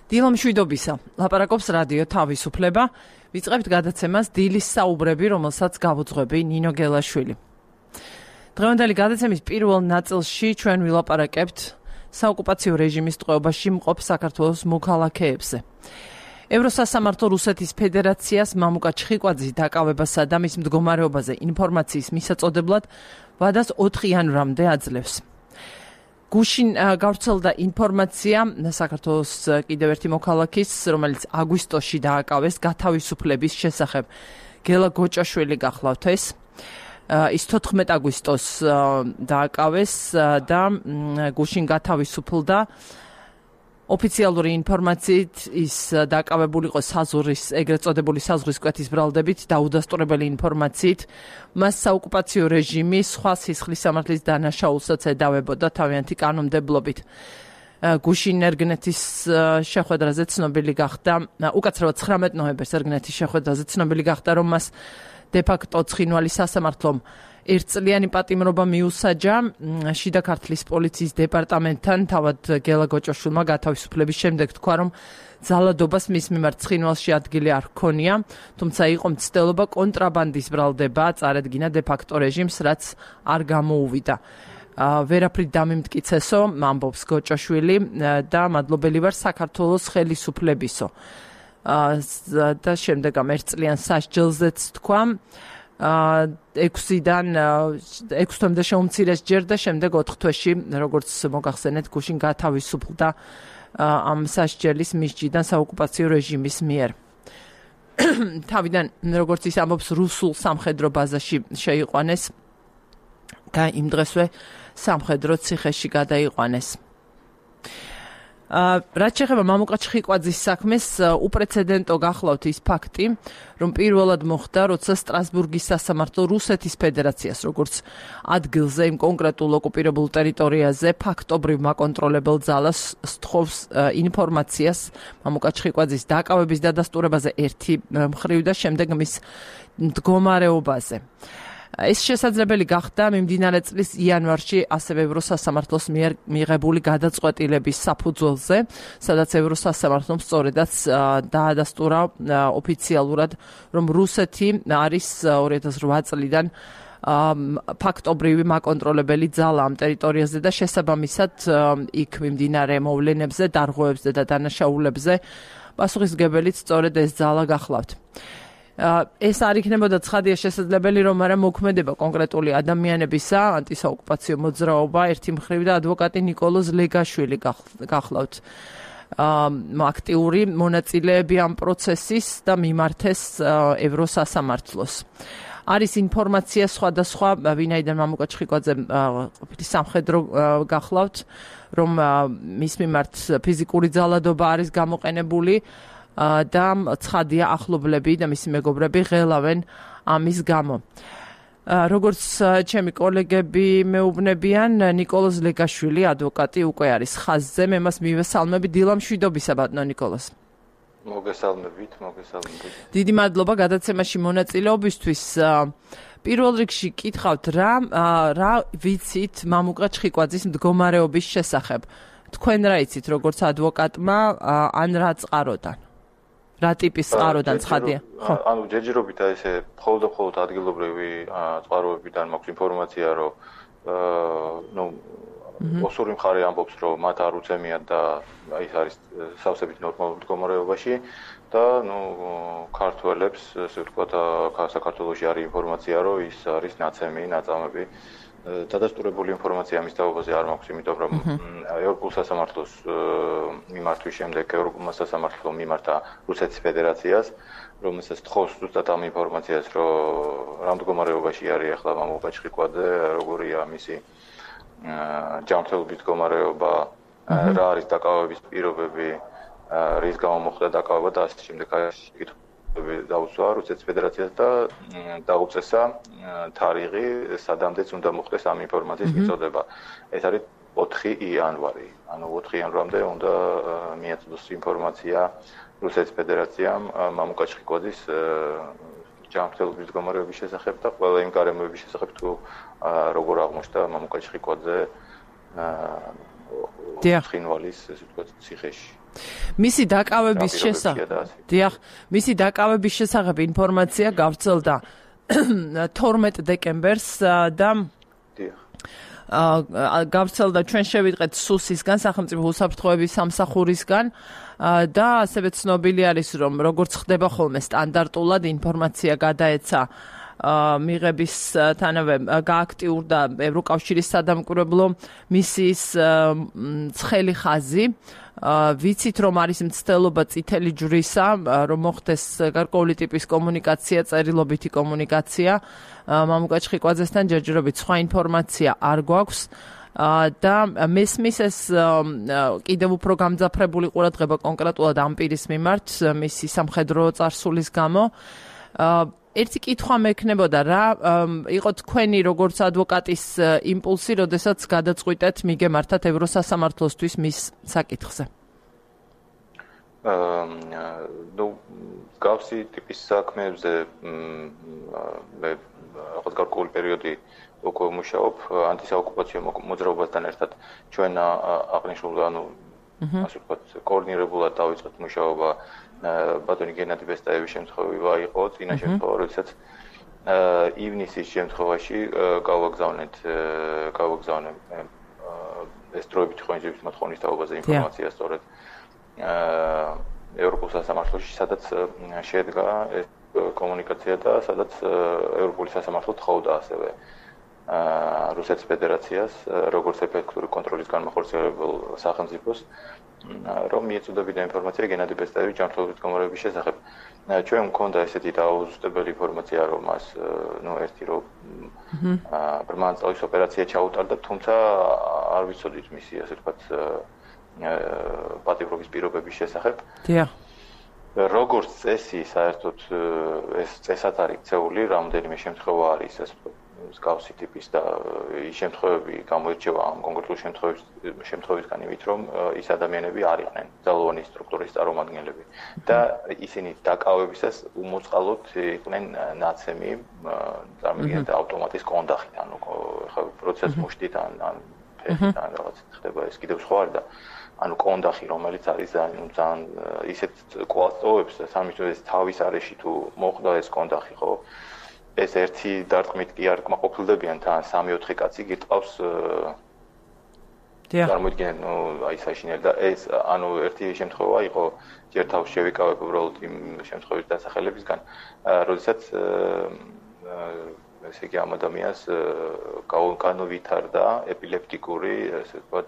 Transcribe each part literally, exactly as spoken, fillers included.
დილა მშვიდობისა. ლაპარაკობს რადიო თავისუფლება. ვიწყებთ გადაცემას დილის საუბრები, რომელსაც გავუძღვები ნინო გელაშვილი. დღევანდელი გადაცემის პირველ ნაწილში ჩვენ ვილაპარაკებთ საოკუპაციო რეჟიმის ტყვეობაში მყოფ საქართველოს მოქალაქეებზე. ევროსასამართლო რუსეთის ფედერაციას მამუკა ჩხიკვაძის დაკავებასა და მის მდგომარეობაზე ინფორმაციის მისაწოდებლად ვადას ოთხ იანვრამდე აძლევს. გუშინ გავრცელდა ინფორმაცია საქართველოს კიდევ ერთი მოქალაქის, რომელიც აგვისტოში დააკავეს გათავისუფლების შესახებ. გელა გოჭაშვილი გახლავთ ეს. ის თოთხმეტ აგვისტოს დააკავეს და გუშინ გათავისუფლდა. ოფიციალური ინფორმაციით ის დაკავებული იყო საზღვრის, ეგრეთ წოდებული საზღვრის კვეთის ბრალდებით და უდასტურებელი ინფორმაციით მას საოკუპაციო რეჟიმი სხვა სისხლის სამართლის დანაშაულსაც ედავებოდა თავიანთი კანონმდებლობით. გუშინ ერგნეთის შეხვედრაზე ცნობილი გახდა, უკაცრავად ცხრამეტ ნოემბერს ერგნეთის შეხვედრაზე ცნობილი გახდა, რომ მას დე-ფაქტო ცხინვალი სასამართლომ ერთწლიანი პატიმრობა მიუსაჯა შიდა ქართლის პოლიციის დეპარტამენტთან. თავად გელა გოჭაშვილმა გათავისუფლების შემდეგ თქვა, რომ ძალადობას მის მიმართ ცხინვალში ადგილი არ ჰქონია, თუმცა იყო მცდელობა კონტრაბანდის ბრალდება წარედგინა დე-ფაქტო რეჟიმს, რაც არ გამოუვიდა. ვერაფრით დამიმტკიცესო, ამბობს გოჭაშვილი და მადლობელი ვარ საქართველოს ხელისუფლებისო. და შემდეგ ამ ერთწლიან სასჯელზეც თქვა, ექვსიდან ექვს თვემდე შეუმცირეს ჯერ და შემდეგ ოთხ თვეში, როგორც მოგახსენეთ, გუშინ გათავისუფლდა ამ სასჯელის მისჯიდან საოკუპაციო რეჟიმის მიერ. თავიდან, როგორც ის ამბობს, რუსულ სამხედრო ბაზაში შეიყვანეს და იმ დღესვე სამხედრო ციხეში გადაიყვანეს. რაც შეეხება მამუკა ჩხიკვაძის საქმეს, უპრეცედენტო გახლავთ ის ფაქტი, რომ პირველად მოხდა, როცა სტრასბურგის სასამართლო რუსეთის ფედერაციას, როგორც ადგილზე, იმ კონკრეტულ ოკუპირებულ ტერიტორიაზე, ფაქტობრივ მაკონტროლებელ ძალას სთხოვს ინფორმაციას მამუკა ჩხიკვაძის დაკავების დადასტურებაზე ერთი მხრივ და შემდეგ მის მდგომარეობაზე. ეს შესაძლებელი გახდა მიმდინარე წლის იანვარში ასევე ევროსასამართლოს მიერ მიღებული გადაწყვეტილების საფუძველზე, სადაც ევროსასამართლომ სწორედაც დაადასტურა ოფიციალურად, რომ რუსეთი არის ორი ათას რვა წლიდან ფაქტობრივი მაკონტროლებელი ძალა ამ ტერიტორიაზე და შესაბამისად იქ მიმდინარე მოვლენებზე, დარღვევებზე და დანაშაულებზე პასუხისმგებელიც სწორედ ეს ძალა გახლავთ. ეს არ იქნებოდა ცხადია შესაძლებელი, რომ არა მოქმედება კონკრეტული ადამიანებისა, ანტისაოკუპაციო მოძრაობა ერთი მხრივ და ადვოკატი ნიკოლოზ ლეგაშვილი გახლავთ. აქტიური მონაწილეები ამ პროცესის და მიმართეს ევროსასამართლოს. არის ინფორმაცია სხვადასხვა, ვინაიდან მამუკა ჩხიკვაძე ყოფილი სამხედრო გახლავთ, რომ მის მიმართ ფიზიკური ძალადობა არის გამოყენებული და ცხადია ახლობლები და მისი მეგობრები ღელავენ ამის გამო. როგორც ჩემი კოლეგები მეუბნებიან, ნიკოლოზ ლეგაშვილი, ადვოკატი, უკვე არის ხაზზე. მე მას მივესალმები. დილა მშვიდობისა, ბატონო ნიკოლოზ. მოგესალმებით, მოგესალმებით. დიდი მადლობა გადაცემაში მონაწილეობისთვის. პირველ რიგში კითხავთ, რა რა ვიცით მამუკა ჩხიკვაძის მდგომარეობის შესახებ? თქვენ რა იცით, როგორც ადვოკატმა, ან რა წყაროდან? რა ტიპის წყაროდან ცხადია? ანუ ჯერჯერობით ესე მხოლოდ და მხოლოდ ადგილობრივი წყაროებიდან მაქვს ინფორმაცია, რომ ნუ ოსური მხარე ამბობს, რომ მათ არ უცემიათ და ის არის სავსებით ნორმალურ მდგომარეობაში და ნუ ქართველებს, ესე ვთქვათ, საქართველოში არის ინფორმაცია, რომ ის არის ნაცემი, ნაწამები. დადასტურებული ინფორმაცია მის თაობაზე არ მაქვს, იმიტომ რომ ევროპულ სასამართლოს მიმართვის შემდეგ ევროპულმა სასამართლომ მიმართა რუსეთის ფედერაციას, რომელსაც თხოვს ზუსტად ამ ინფორმაციას, რომ რა მდგომარეობაში არის ახლა მამუკა ჩხიკვაძე, როგორია მისი ჯანმრთელობის მდგომარეობა, რა არის დაკავების პირობები, რის გამო მოხდა დაკავება და ასე შემდეგ. დაუსვა რუსეთის ფედერაციას და დაუწესა თარიღი, სადამდეც უნდა მოხდეს ამ ინფორმაციის მიწოდება. ეს არის ოთხი იანვარი. ანუ ოთხი იანვრამდე უნდა მიაწოდოს ინფორმაცია რუსეთის ფედერაციამ მამუკა ჩხიკვაძის ჯანმრთელობის მდგომარეობის შესახებ და ყველა იმ გარემოების შესახებ, თუ როგორ აღმოჩნდა მამუკა ჩხიკვაძე ცხინვალის, ესე ვთქვათ, ციხეში. მისი დაკავების შესახებ დიახ, მისი დაკავების შესახებ ინფორმაცია გავრცელდა თორმეტ დეკემბერს და დიახ გავრცელდა ჩვენ შევიტყეთ სუსისგან, სახელმწიფო უსაფრთხოების სამსახურისგან და ასევე ცნობილი არის, რომ როგორც ხდება ხოლმე სტანდარტულად ინფორმაცია გადაეცა მიღებისთანავე გააქტიურდა ევროკავშირის სადამკვირვებლო მისიის ცხელი ხაზი. ვიცით, რომ არის მცდელობა წითელი ჯვრისა, რომ მოხდეს გარკვეული ტიპის კომუნიკაცია, წერილობითი კომუნიკაცია. მამუკა ჩხიკვაძესთან ჯერჯერობით სხვა ინფორმაცია არ გვაქვს და მესმის ეს კიდევ უფრო გამძაფრებული ყურადღება კონკრეტულად ამ პირის მიმართ მისი სამხედრო წარსულის გამო. ერთი კითხვა მექნებოდა, რა იყო თქვენი როგორც ადვოკატის იმპულსი, როდესაც გადაწყვიტეთ მიგემართათ ევროსასამართლოსთვის მის საკითხზე? ნუ გავსი ტიპის საქმეებზე მე რაღაც გარკვეული პერიოდი უკვე მუშაობ ანტისაოკუპაციო მოძრაობასთან ერთად. ჩვენ აღნიშნულ ანუ ასე ვთქვათ კოორდინირებულად დავიწყეთ მუშაობა ბატონი გენადი ბესტაევის შემთხვევა იყო წინა შემთხვევა, როდესაც ივნისის შემთხვევაში გავაგზავნეთ გავაგზავნე ეს დროებითი ხონჯების მოთხოვნის თაობაზე ინფორმაცია სწორედ ევროპულ სასამართლოში, სადაც შედგა ეს კომუნიკაცია და სადაც ევროპული სასამართლო თხოვდა ასევე რუსეთის ფედერაციას როგორც ეფექტური კონტროლის განმახორციელებელ სახელმწიფოს რომ მიეწოდებინა ინფორმაცია გენადი ბესტაევის ჯანმრთელობის გამორების შესახებ. ჩვენ მქონდა ესეთი დაუზუსტებელი ინფორმაცია, რომ მას ნუ ერთი რომ ბრმანწავის ოპერაცია ჩაუტარდა, თუმცა არ ვიცოდით მისი ასე ვთქვათ პატიმრობის პირობების შესახებ. დიახ. როგორც წესი, საერთოდ ეს წესაც არის ქცეული, რამდენიმე შემთხვევა არის ასე ვთქვათ მსგავსი ტიპის და ის შემთხვევები გამოირჩევა ამ კონკრეტულ შემთხვევების შემთხვევისგან იმით, რომ ის ადამიანები არ იყვნენ ძალოვანი სტრუქტურის წარმომადგენლები და ისინი დაკავებისას უმოწყალოდ იყვნენ ნაცემი, წარმოგიდგენთ ავტომატის კონდახით, ანუ ხა პროცესს მუშტით ან ან ფეხით ან რაღაც ხდება ეს კიდევ სხვა არის და ანუ კონდახი, რომელიც არის ძალიან ძალიან ისეთ კვალტოვებს სამისთვის თავის არეში თუ მოხდა ეს კონდახი, ხო? ეს ერთი დარტყმით კი არ კმაყოფილდებიან თან სამი-ოთხი კაცი გიტყავს წარმოიდგინეთ, ნუ აი საშინელი და ეს ანუ ერთი შემთხვევა იყო ჯერ თავს შევიკავებ უბრალოდ იმ შემთხვევის დასახელებისგან, როდესაც ესე იგი ამ ადამიანს განუვითარდა ეპილეპტიკური, ესე ვთქვათ,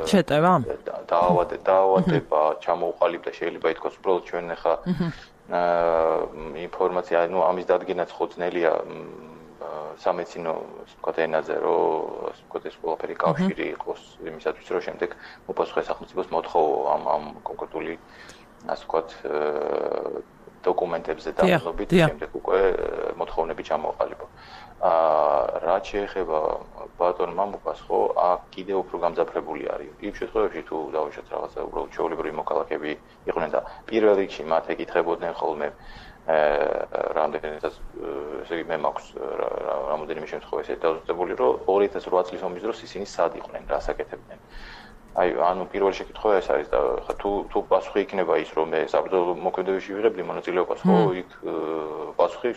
შეტევა? დაავადება, ჩამოუყალიბდა, შეიძლება ითქვას, უბრალოდ ჩვენ ახლა ინფორმაცია, ну, ამის დადგენაც ხო ძნელია სამეცნიერო, ასე ვთქვათ, ენაზე, რომ ასე ვთქვათ, ეს ყველაფერი კავშირი იყოს იმისათვის, რომ შემდეგ უპასუხე სახელმწიფოს მოთხოვო ამ ამ კონკრეტული, ასე ვთქვათ, დოკუმენტებზე დამოკიდებით, შემდეგ უკვე მოთხოვნები ჩამოყალიბო. აა რაც შეეხება ბატონ მამუკას, ხო, აქ კიდევ უფრო გამძაფრებული არის. იმ შემთხვევაში თუ დავუშვათ რაღაცა უბრალოდ ჩვეულებრივი მოქალაქეები იყვნენ და პირველ რიგში მათ ეკითხებოდნენ ხოლმე რამდენადაც ესე იგი მე მაქვს რამოდენიმე შემთხვევა ესე დაუზუსტებული, რომ ორი ათას ოთხ წლის ომის დროს ისინი სად იყვნენ, რას აკეთებდნენ. აი, ანუ პირველი შეკითხვა ეს არის და ხა თუ თუ პასუხი იქნება ის, რომ მე საბრძოლო მოქმედებაში ვიღებდი მონაწილეობას, ხო, იქ პასუხი,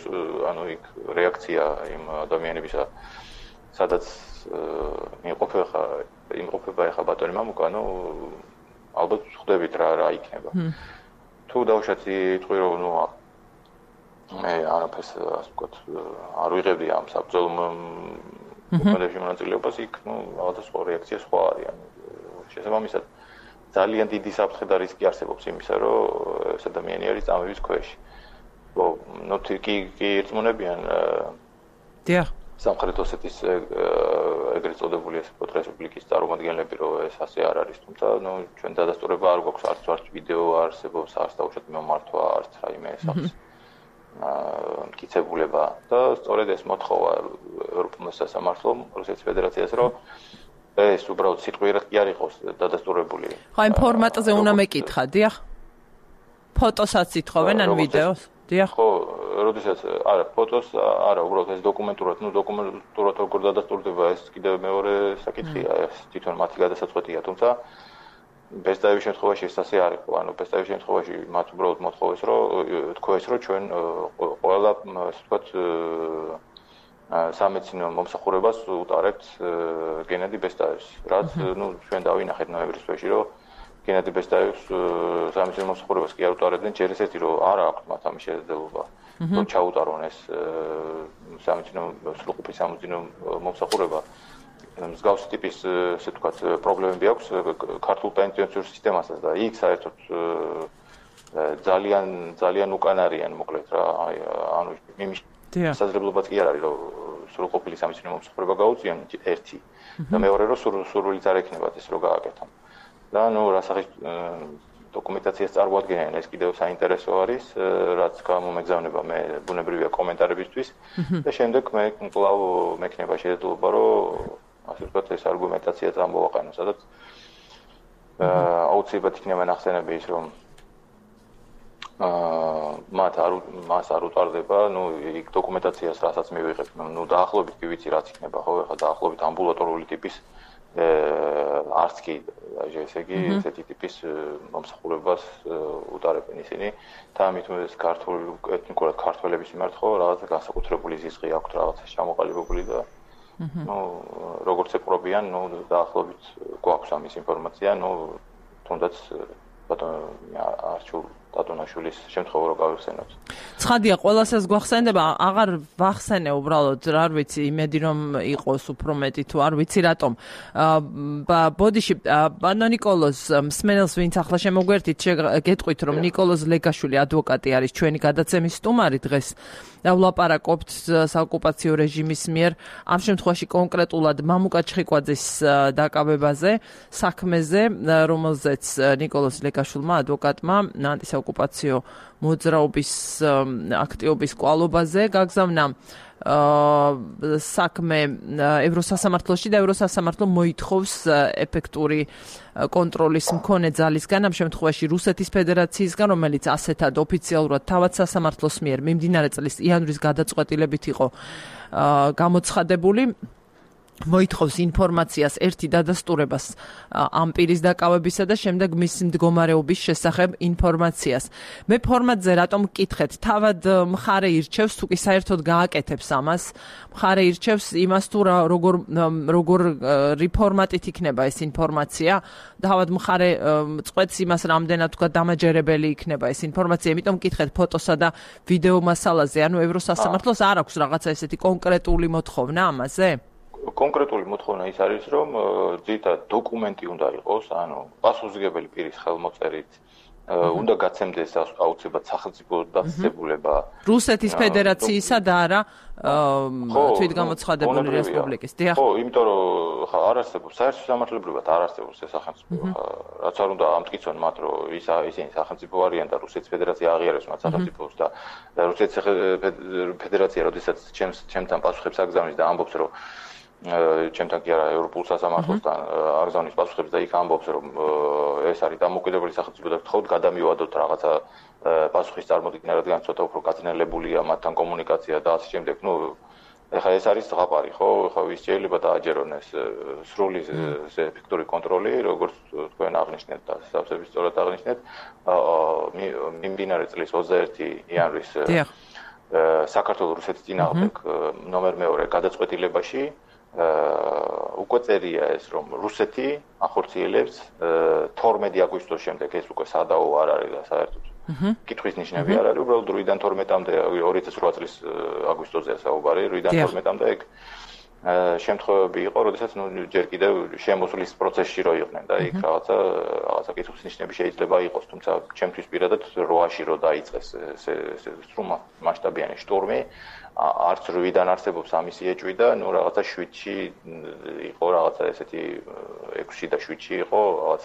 ანუ იქ რეაქცია იმ ადამიანებისა, სადაც იმყოფება ხა იმყოფება ხა ბატონი მამუკა, ну, ალბათ ხვდებით რა რა იქნება. თუ დავუშვათ იტყვი რომ ნუ მე არაფერს ასე ვთქვათ არ ვიღებდი ამ საბრძოლო მოქმედებაში მონაწილეობას, იქ ნუ რაღაცა სხვა რეაქცია სხვა არის, ანუ შესაბამისად ძალიან დიდი საფრთხე და რისკი არსებობს იმისა, რომ ეს ადამიანი არის წამების ქვეშ. ხო, ნუ კი კი ერთმონებიან დიახ სამხრეთ ოსეთის ეგრეთ წოდებული ეს რესპუბლიკის წარმომადგენლები, რომ ეს ასე არ არის, თუმცა ნუ ჩვენ დადასტურება არ გვაქვს, არც არც ვიდეო არსებობს, არც დაუშვათ მომართვა, არც რაიმე სახის მტკიცებულება და სწორედ ეს მოთხოვა ევროპულ სასამართლომ რუსეთის ფედერაციას, რომ ეს უბრალოდ სიტყვიერად კი არ იყოს დადასტურებული. ხო, იმ ფორმატზე უნდა მეკითხა, დიახ. ფოტოსაც ითხოვენ ან ვიდეოს? დიახ. ხო, როდესაც არა, ფოტოს არა, უბრალოდ ეს დოკუმენტურად, ну, დოკუმენტურად როგორ დადასტურდება, ეს კიდევ მეორე საკითხია, ეს თვითონ მათი გადასაწყვეტია, თუმცა ბესტაევის შემთხვევაში ეს ასე არ იყო. ანუ ბესტაევის შემთხვევაში მათ უბრალოდ მოთხოვეს, რომ თქვეს, რომ ჩვენ ყველა, ასე ვთქვათ, სამეცნიერო მომსახურებას უტარებთ გენადი ბესტაევს. რაც, ну, ჩვენ დავინახეთ ნოემბრის თვეში, რომ გენადი ბესტაევს სამეცნიერო მომსახურებას კი არ უტარებდნენ, ჯერ ესეთი, რომ არ აქვს მათ ამის შესაძლებლობა, რომ ჩაუტარონ ეს სამეცნიერო სრულყოფი სამეცნიერო მომსახურება. მსგავსი ტიპის, ასე ვთქვათ, პრობლემები აქვს ქართულ პენსიურ სისტემასაც და იქ საერთოდ ძალიან ძალიან უკან არიან, მოკლედ რა, ანუ იმის შესაძლებლობაც კი არ არის, რომ სრულყოფილი სამეცნიერო მომსახურება გაუწიონ ერთი და მეორე რომ სურვილიც არ ექნებათ ეს რომ გააკეთონ. და ნუ რასახის დოკუმენტაციას წარმოადგენენ, ეს კიდევ საინტერესო არის, რაც გამომეგზავნება მე ბუნებრივია კომენტარებისთვის და შემდეგ მე კვლავ მექნება შესაძლებლობა, რომ ასე ვთქვათ, ეს არგუმენტაცია წარმოვაყენო, სადაც აუცილებლად იქნება ნახსენები ის, რომ აა მათ არ მას არ უტარდება, ну, იქ დოკუმენტაციას რასაც მივიღებ, ну, დაახლოებით კი ვიცი რაც იქნება, ხო, ეხლა დაახლოებით ამბულატორიული ტიპის არც კი, ესე იგი, ესეთი ტიპის მომსახურებას უტარებენ ისინი და ამით ეს ქართული ეთნიკურად ქართველების მიმართ ხო რაღაცა განსაკუთრებული ზიზღი აქვთ, რაღაცა ჩამოყალიბებული და ну, როგორც ეპრობიან, ну, დაახლოებით გვაქვს ამის ინფორმაცია, ну, თუნდაც ბატონო არჩულ დატონაშვილის შემთხვევა რო გავიხსენოთ. ცხადია, ყველასაც გვახსენდება, აღარ ვახსენე უბრალოდ, რა ვიცი, იმედი რომ იყოს უფრო მეტი თუ არ ვიცი რატომ. ბოდიში, ბატონო ნიკოლოზ, მსმენელს ვინც ახლა შემოგვერთით, გეტყვით რომ ნიკოლოზ ლეგაშვილი ადვოკატი არის ჩვენი გადაცემის სტუმარი დღეს. და ვლაპარაკობთ საოკუპაციო რეჟიმის მიერ ამ შემთხვევაში კონკრეტულად მამუკა ჩხიკვაძის დაკავებაზე, საქმეზე, რომელზეც ნიკოლოზ ლეგაშვილმა ადვოკატმა ანტისაოკუპაციო მოძრაობის აქტივობის კვალობაზე გაგზავნა საქმე ევროსასამართლოში და ევროსასამართლო მოითხოვს ეფექტური კონტროლის მქონე ძალისგან, ამ შემთხვევაში რუსეთის ფედერაციისგან, რომელიც ასეთად ოფიციალურად თავად სასამართლოს მიერ მიმდინარე წლის იანვრის გადაწყვეტილებით იყო გამოცხადებული. მოითხოვს ინფორმაციას ერთი დადასტურებას ამ პირის დაკავებისა და შემდეგ მის მდგომარეობის შესახებ ინფორმაციას. მე ფორმატზე რატომ მკითხეთ? თავად მხარე ირჩევს, თუ კი საერთოდ გააკეთებს ამას, მხარე ირჩევს იმას თუ როგორ როგორ რეფორმატით იქნება ეს ინფორმაცია. თავად მხარე წყვეტს იმას, რამდენად თქვა დამაჯერებელი იქნება ეს ინფორმაცია. იმიტომ მკითხეთ ფოტოსა და ვიდეო მასალაზე, ანუ ევროსასამართლოს არ აქვს რაღაცა ესეთი კონკრეტული მოთხოვნა ამაზე? კონკრეტული მოთხოვნა ის არის, რომ ძირითადად დოკუმენტი უნდა იყოს, ანუ პასუხისმგებელი პირის ხელმოწერით, უნდა გაცემდეს აუცილებლად სახელმწიფო დაწესებულება რუსეთის ფედერაციისა და არა თვითგამოცხადებული რესპუბლიკის. დიახ. ხო, იმიტომ რომ ხა არ არსებობს საერთო სამართლებრივად არ არსებობს ეს სახელმწიფო. რაც არ უნდა ამტკიცონ მათ, რომ ის ისინი სახელმწიფო არიან და რუსეთის ფედერაცია აღიარებს მათ სახელმწიფოს და რუსეთის ფედერაცია, როდესაც ჩემს ჩემთან პასუხებს აგზავნის და ამბობს, რომ ჩემთან კი არა ევროპულ სასამართლოსთან აგზავნის პასუხებს და იქ ამბობს, რომ ეს არის დამოუკიდებელი სახელმწიფო და გთხოვთ გადამივადოთ რაღაცა პასუხის წარმოდგენა, რადგან ცოტა უფრო გაძნელებულია მათთან კომუნიკაცია და ასე შემდეგ. ნუ ეხლა ეს არის ზღაპარი, ხო? ეხლა ვის შეიძლება დააჯერონ ეს სრული ეფექტური კონტროლი, როგორც თქვენ აღნიშნეთ და სავსების სწორად აღნიშნეთ, მიმდინარე წლის ოცდაერთი იანვრის საქართველოს რუსეთის წინააღმდეგ ნომერ მეორე გადაწყვეტილებაში უკვე წერია ეს, რომ რუსეთი ახორციელებს თორმეტი აგვისტოს შემდეგ, ეს უკვე სადაო არ არის და საერთოდ კითხვის ნიშნები არ არის, უბრალოდ რვიდან თორმეტამდე, ორი ათას ოთხ წლის აგვისტოზეა საუბარი, რვიდან თორმეტამდე ეგ შემთხვევები იყო, როდესაც ნუ ჯერ კიდევ შემოსვლის პროცესში რო იყვნენ და იქ რაღაცა რაღაცა კითხვის ნიშნები შეიძლება იყოს, თუმცა ჩემთვის პირადად რვაში რო დაიწყეს ეს სრულ მასშტაბიანი შტურმი, არც რვიდან არსებობს ამისი ეჭვი და ნუ რაღაცა შვიდში იყო რაღაცა ესეთი ექვსში და შვიდში იყო რაღაც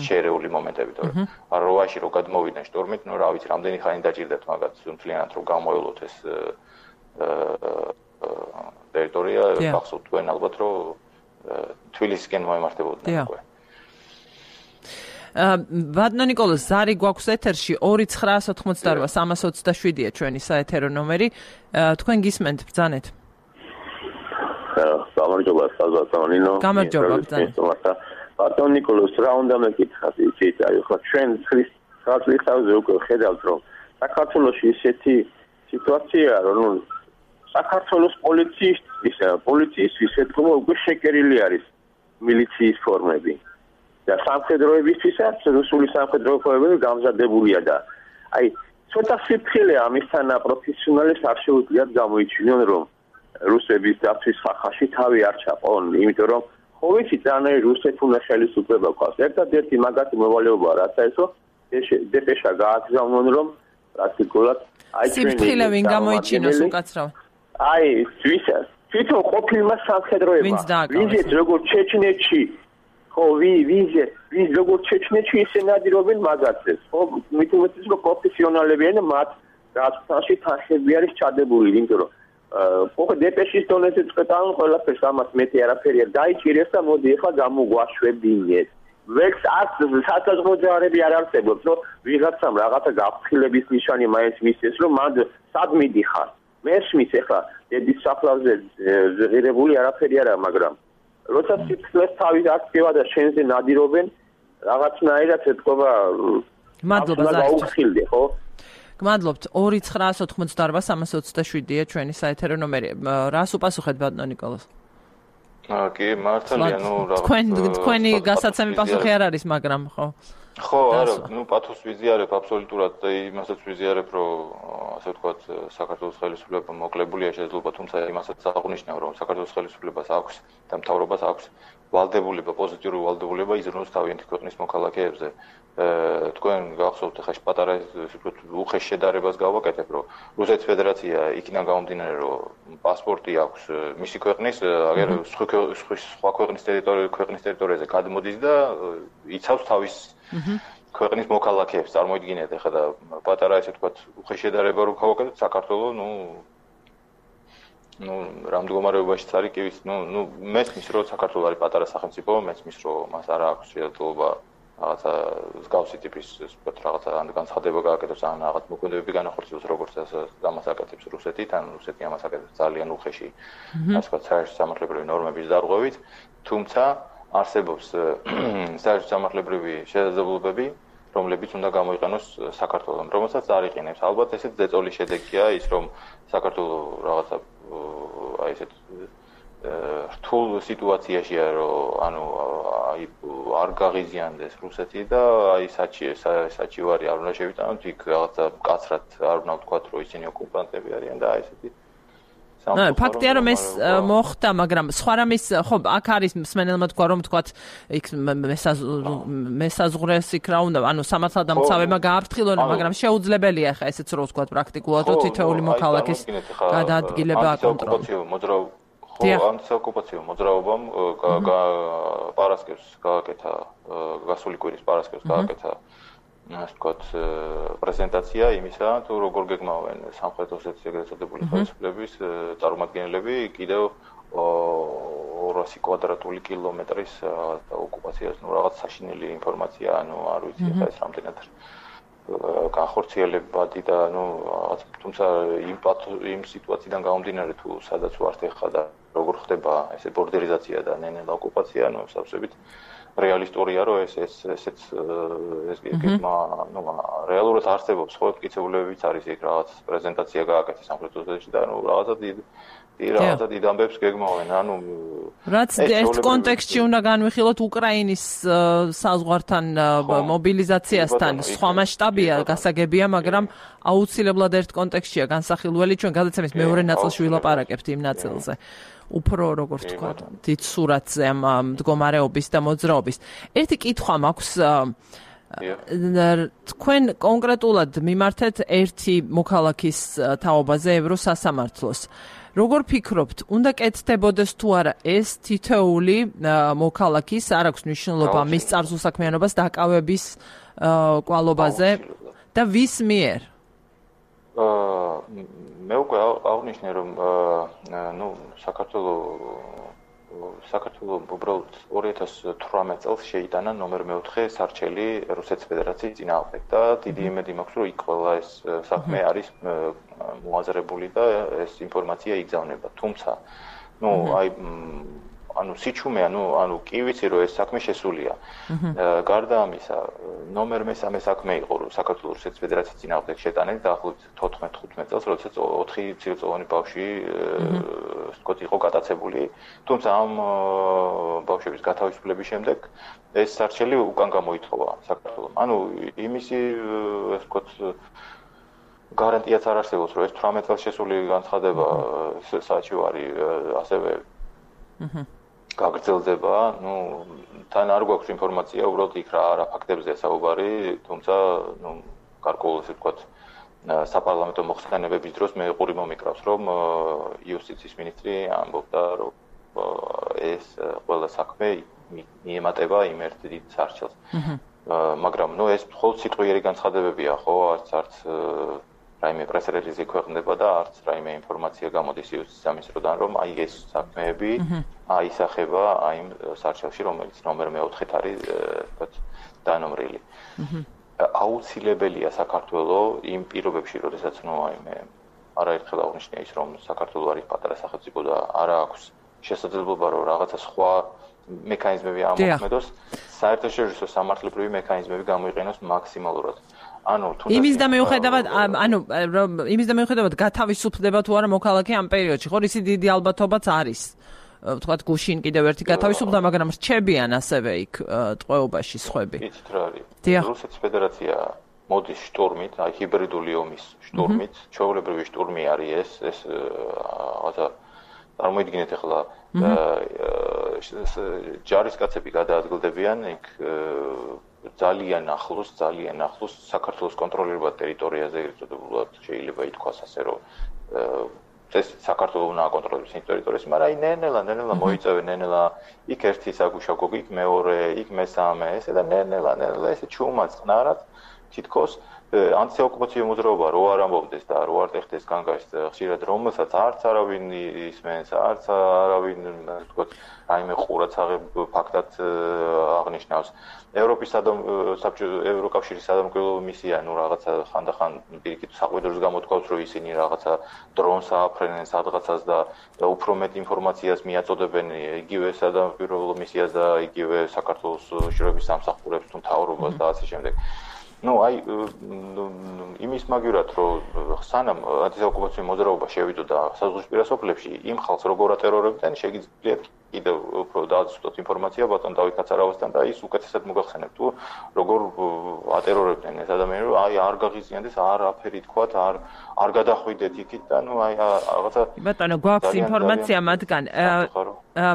შეერეული მომენტები, თორე რვაში რო გადმოვიდნენ შტურმით, ნუ რა ვიცი, რამდენი ხანი დაჭირდათ მაგათ მთლიანად რომ გამოელოთ ეს ტერიტორია, გახსოვთ თქვენ ალბათ, რომ თბილისისკენ მოემართებოდნენ უკვე. ბატონო ნიკოლოზ, ზარი გვაქვს ეთერში ორი ცხრაას ოთხმოცდარვა სამას ოცდაშვიდია ჩვენი საეთერო ნომერი. თქვენ გისმენთ, ბრძანეთ. გამარჯობა, საზღვარგარეთ. გამარჯობა, ბრძანეთ. ბატონ ნიკოლოზ რა უნდა მეკითხათ იცით აი ხო ჩვენ ხრის ხალხისთავზე უკვე ხედავთ რომ საქართველოში ისეთი სიტუაციაა რომ საქართველოს პოლიციის ისა პოლიციის ისეთქმა უკვე შეკერილი არის მილიციის ფორმები და სამხედროებისთვისაც რუსული სამხედროებები გამზადებულია და აი ცოტა სიფრთხილეა ამისთანა პროფესიონალებს არ შეუძლიათ გამოიჩინონ რომ რუსების დაცვის ხახაში თავი არ ჩაყონ იმიტომ რომ ხო ვიცი ძალიან რუსეთუნა ხელისუფლება ყავს ერთადერთი მაგათი მოვალეობაა რაც აესო დეპეშა გააგზავნონ რომ პრაქტიკულად აი სიფრთხილე ვინ გამოიჩინოს უკაცრავ აი ვისაც თვითონ ყოფილმა სამხედროებმა ვიზეთ როგორც ჩეჩნეთში ხო ვიზეთ ვის როგორც ჩეჩნეთში ისე ნადირობენ მაგაცებს ხო მithumetis რომ პროფესიონალებიან მათ რაცთანში თანხები არის ჩადებული იმიტომ რომ ხო დეპეშის დონეზე წყვეტან ყველაფერს ამას მეტი არაფერი არ დაიჭირეს და მოდი ახლა გამოგვაშვებინეთ ვექს არც სათავო ჯარები არ არსებობს რომ ვიღაცამ რაღაცა გაფრთხილების ნიშანი მაინც მისცეს რომ მანდ სად მიდიხარ მესმის ახლა დედის საფლავზე ღირებული არაფერი არა მაგრამ როცა სიფრთხილეს თავი აქტივა და შენზე ნადირობენ რაღაცნაირად ეთქობა მადლობა გაუხილდე ხო გმადლობთ ორი ცხრაას ოთხმოცდაარბა სამას ოცდაშვიდია ჩვენი საეთერო ნომერი რას უპასუხეთ ბატონო ნიკოლოზ კი მართალია ნუ რა თქვენ თქვენი გასაცემი პასუხი არ არის მაგრამ ხო ხო არა ნუ პათოს ვიზიარებ აბსოლუტურად და იმასაც ვიზიარებ რომ ასე ვთქვათ საქართველოს ხელისუფლება მოკლებულია შესაძლოა თუმცა იმასაც აღნიშნავ რომ საქართველოს ხელისუფლებას აქვს და მთავრობას აქვს ვალდებულება პოზიტიური ვალდებულება იზრუნოს თავიანთი ქვეყნის მოქალაქეებზე თქვენ გახსოვთ ხა პატარა უხეშ შედარებას გავაკეთებ რომ რუსეთის ფედერაცია იქიდან გამომდინარე რომ პასპორტი აქვს მისი ქვეყნის აგერ სხვა ქვეყნის ტერიტორიაზე ქვეყნის ტერიტორიაზე გადმოდის და იცავს თავის ქვეყნის მოქალაქეებს წარმოიდგინეთ ხა და პატარა ესე ვთქვათ უხეშ შედარება რომ გავაკეთოთ საქართველოს ნუ ну, რამ მდგომარეობაშიც არის კი ვიცი, ну, ну, მესმის რომ საქართველოს არის პატარა სახელმწიფო, მესმის რომ მას არ აქვს შესაძლებლობა რაღაცა მსგავსი ტიპის, ვთქვათ, რაღაცა განცხადება გააკეთოს ან რაღაც მოქმედებები განახორციელოს, როგორც ამას აკეთებს რუსეთი, თან რუსეთი ამას აკეთებს ძალიან უხეში, ასე ვთქვათ, საერთო სამართლებრივი ნორმების დარღვევით, თუმცა არსებობს საერთო სამართლებრივი შესაძლებლობები, რომლებიც უნდა გამოიყენოს საქართველოს, რომელსაც არ იყენებს. ალბათ ესეც ზეწოლის შედეგია ის, რომ საქართველოს რაღაცა აი ესეთ რთულ სიტუაციაშია რომ ანუ აი არ გაღიზიანდეს რუსეთი და აი საჩი საჩივარი არ უნდა შევიტანოთ იქ რაღაცა მკაცრად არ უნდა ვთქვათ რომ ისინი ოკუპანტები არიან და აი ესეთი ნუ ფაქტია რომ ეს მოხდა მაგრამ სხვა რამის ხო აქ არის მსმენელმა თქვა რომ ვთქვათ იქ მესაზღვრეს იქ რა უნდა ანუ სამართალდამცავებმა გააფრთხილონ მაგრამ შეუძლებელია ხა ესეც რო ვთქვათ პრაქტიკულად რომ თითოეული მოქალაქის გადაადგილება აკონტროლოს ხო ანტიოკუპაციო მოძრაობამ პარასკევს გააკეთა გასული კვირის პარასკევს გააკეთა ასე ვთქვათ პრეზენტაცია იმისა თუ როგორ გეგმავენ სამხრეთ ოსეთის ეგრეთ წოდებული ხელისუფლების წარმომადგენლები კიდევ ორასი კვადრატული კილომეტრის ოკუპაციას ნუ რაღაც საშინელი ინფორმაცია ანუ არ ვიცი ხა ეს რამდენად განხორციელებადი და ნუ რაღაც თუმცა იმ იმ სიტუაციიდან გამომდინარე თუ სადაც ვართ ახლა და როგორ ხდება ესე ბორდერიზაცია და ნენელა ოკუპაცია ნუ სავსებით რეალისტურია რომ ეს ეს ესეც ეს გეგმა ნუ რეალურად არსებობს ხო მტკიცებულებებიც არის იქ რაღაც პრეზენტაცია გააკეთეს სამხრეთ ოსეთში და ნუ რაღაცა დიდი რაღაცა დიდ ამბებს გეგმავენ ანუ რაც ერთ კონტექსტში უნდა განვიხილოთ უკრაინის საზღვართან მობილიზაციასთან სხვა მასშტაბია გასაგებია მაგრამ აუცილებლად ერთ კონტექსტშია განსახილველი ჩვენ გადაცემის მეორე ნაწილში ვილაპარაკებთ იმ ნაწილზე უფრო როგორ თქვა დიდ სურათზე ამ მდგომარეობის და მოძრაობის ერთი კითხვა მაქვს თქვენ კონკრეტულად მიმართეთ ერთი მოქალაქის თაობაზე ევროსასამართლოს როგორ ფიქრობთ, უნდა კეთდებოდეს თუ არა ეს თითოეული მოქალაქის არ აქვს მნიშვნელობა მის წარსულსაქმიანობას დაკავების კვალობაზე და ვის მიერ? მე უკვე აღნიშნე რომ ნუ საქართველოს საქართველოს უბრალოდ ორი ათას თვრამეტ წელს შეიტანა ნომერ მეოთხე სარჩელი რუსეთის ფედერაციის წინააღმდეგ და დიდი იმედი მაქვს რომ იქ ყველა ეს საქმე არის მოაზრებული და ეს ინფორმაცია იგზავნება თუმცა ნუ აი ანუ სიჩუმე, ანუ ანუ კი ვიცი რომ ეს საქმე შესულია. გარდა ამისა, ნომერ მესამე საქმე იყო რომ საქართველოს რუსეთის ფედერაციის წინააღმდეგ შეტანილი დაახლოებით თოთხმეტ ხუთმეტ წელს, როდესაც ოთხი მცირეწლოვანი ბავშვი ვთქვათ იყო გატაცებული. თუმცა ამ ბავშვების გათავისუფლების შემდეგ ეს სარჩელი უკან გამოითხოვა საქართველოს. ანუ იმისი ვთქვათ გარანტიაც არ არსებობს, რომ ეს თვრამეტ წელს შესული განცხადება საჩივარი ასევე გაგრძელდება, ну, თან არ გვაქვს ინფორმაცია, უბრალოდ იქ რა რა ფაქტებზეა საუბარი, თუმცა, ну, გარკვეულ ესე ვთქვათ, საპარლამენტო მოხსენებების დროს მე ყური მომიკრავს, რომ იუსტიციის მინისტრი ამბობდა, რომ ეს ყველა საქმე მიემატება იმ ერთ დიდ სარჩელს. მაგრამ, ну, ეს მხოლოდ სიტყვიერი განცხადებებია, ხო, არც არც რაიმე პრესრელიზი ქვეყნდება და არც რაიმე ინფორმაცია გამოდის იუსტიციის სამინისტროდან, რომ აი ეს საქმეები აისახება აი იმ სარჩელში, რომელიც ნომერ მეოთხედ არის, ვთქვათ, დანომრილი. აუცილებელია საქართველოს იმ პირობებში, როდესაც ნუ აი მე არაერთხელ აღნიშნე ის, რომ საქართველოს არის პატარა სახელმწიფო და არ აქვს შესაძლებლობა, რომ რაღაცა სხვა მექანიზმები ამოქმედოს, საერთაშორისო სამართლებრივი მექანიზმები გამოიყენოს მაქსიმალურად. ანუ თუნდაც იმის და მიუხედავად, ანუ იმის და მიუხედავად გათავისუფლდება თუ არა მოქალაქე ამ პერიოდში, ხო, ისი დიდი ალბათობაც არის. ვთქვათ, გუშინ კიდევ ერთი გათავისუფლდა, მაგრამ რჩებიან ასევე იქ ტყვეობაში სხვები. იცით რა არის? რუსეთის ფედერაცია მოდის შტორმით, აი ჰიბრიდული ომის შტორმით, ჩვეულებრივი შტორმი არის ეს, ეს რაღაცა წარმოიდგინეთ ახლა ჯარისკაცები გადაადგილდებიან იქ ძალიან ახლოს, ძალიან ახლოს საქართველოს კონტროლირებად ტერიტორიაზე ერთობულად შეიძლება ითქვას ასე რომ ეს საქართველოს უნდა აკონტროლოს იმ ტერიტორიას, მაგრამ აი ნენელა, ნენელა მოიწევენ, ნენელა იქ ერთი საგუშაგო, იქ მეორე, იქ მესამე, ესე და ნენელა, ნენელა ესე ჩუმად წყნარად თითქოს ანტიოკუპაციო მოძრაობა რო არ ამბობდეს და რო არ ტეხდეს განგაშს ხშირად რომელსაც არც არავინ ისმენს, არც არავინ ვთქვათ, რაიმე ყურაცაღებ ფაქტად აღნიშნავს. ევროპის საბჭოთა ევროკავშირის სადამკვირვებლო მისია, ну რაღაცა ხანდახან პირიქით საყვედურს გამოთქვავს, რომ ისინი რაღაცა დრონს ააფრენენ სადღაცას და უფრო მეტ ინფორმაციას მიაწოდებენ იგივე სადამკვირვებლო მისიას და იგივე საქართველოს შრომის სამსახურებს თუ მთავრობას და ასე შემდეგ. ну აი იმის მაგივრად რომ სანამ ანტიოკუპაციო მოძრაობა შევიდოდა საზღვისპირა სოფლებში იმ ხალხს როგორ ატერორებდნენ შეგიძლიათ კიდევ უფრო დააცვოთ ინფორმაცია ბატონ დავით კაცარავასთან და ის უკეთესად მოგახსენებთ თუ როგორ ატერორებდნენ ეს ადამიანები აი არ გაღიზიანდეს არაფერი თქვათ არ არ გადახვიდეთ იქით და ну აი რაღაცა ბატონო გვაქვს ინფორმაცია მათგან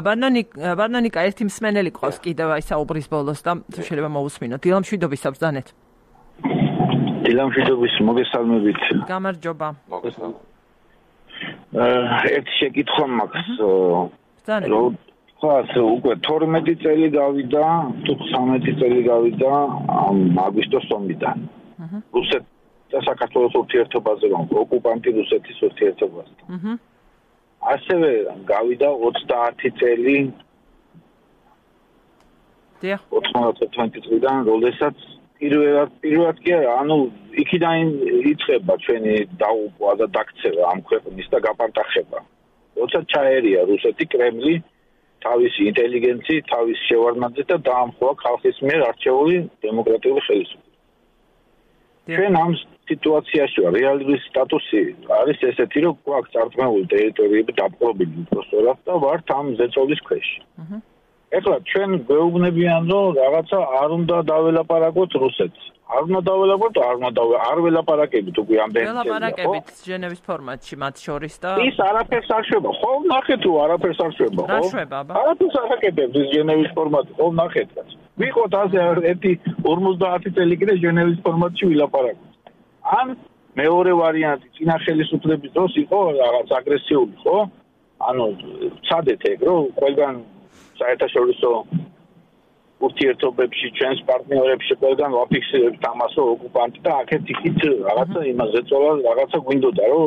ბანანი ბანანიკა ერთი მსმენელი ყავს კიდევ აი საუბრის ბოლოს და თუ შეიძლება მოусმინოთ დილამშვიდობის საბრძანეთ დილამშვიდობის მოგესალმებით. გამარჯობა. მოგესალმებით. ერთი შეკითხვა მაქვს. რომ ხას უკვე თორმეტი წელი გავიდა, თუ ცხრამეტი წელი გავიდა ამ აგვისტოს ომიდან. რუსეთ და საქართველოს ურთიერთობაზე რომ ოკუპანტი რუსეთის ურთიერთობაზე. ასევე გავიდა ოცდაათი წელი. დიახ. ოცდაათი წლიდან, როდესაც პირველად პირველად კი არა, ანუ იქიდან იწყება ჩვენი დაუყვა და დაქცევა ამ ქვეყნის და გაპარტახება. როცა ჩაერია რუსეთი კრემლი თავისი ინტელიგენციით, თავის შევარდნაძით და დაამხოლა ხალხის მიერ არჩეული დემოკრატიული ხელისუფლება. ჩვენ ამ სიტუაციაში რეალური სტატუსი არის ესეთი, რომ გვაქვს წარწმუნებული ტერიტორიები დაპყრობილი უბრალოდ და ვართ ამ ზეწოლის ქვეშ. ეხლა ჩვენ გვეუბნებიან რომ რაღაცა არ უნდა დაველაპარაკოთ რუსეთს. არ უნდა დაველაპარაკოთ, არ უნდა არ ველაპარაკებით უკვე ამდენი წელი. ველაპარაკებით ჟენევის ფორმატში მათ შორის და ის არაფერს არ შვება. ხო, ნახეთ რომ არაფერს არ შვება, ხო? რა შვება, აბა? არაფერს არ აკეთებს ის ჟენევის ფორმატი, ხო, ნახეთ. ვიყოთ ასე ერთი ორმოცდაათი წელი კიდე ჟენევის ფორმატში ვილაპარაკოთ. ან მეორე ვარიანტი წინა ხელისუფლების დროს იყო რაღაც აგრესიული, ხო? ანუ ცადეთ ეგ რომ ყველგან საერთაშორისო ურთიერთობებში ჩვენს პარტნიორებში ყველგან ვაფიქსირებთ ამას რომ ოკუპანტი და აქეთ იქით რაღაცა იმაზე წოლა რაღაცა გვინდოდა რომ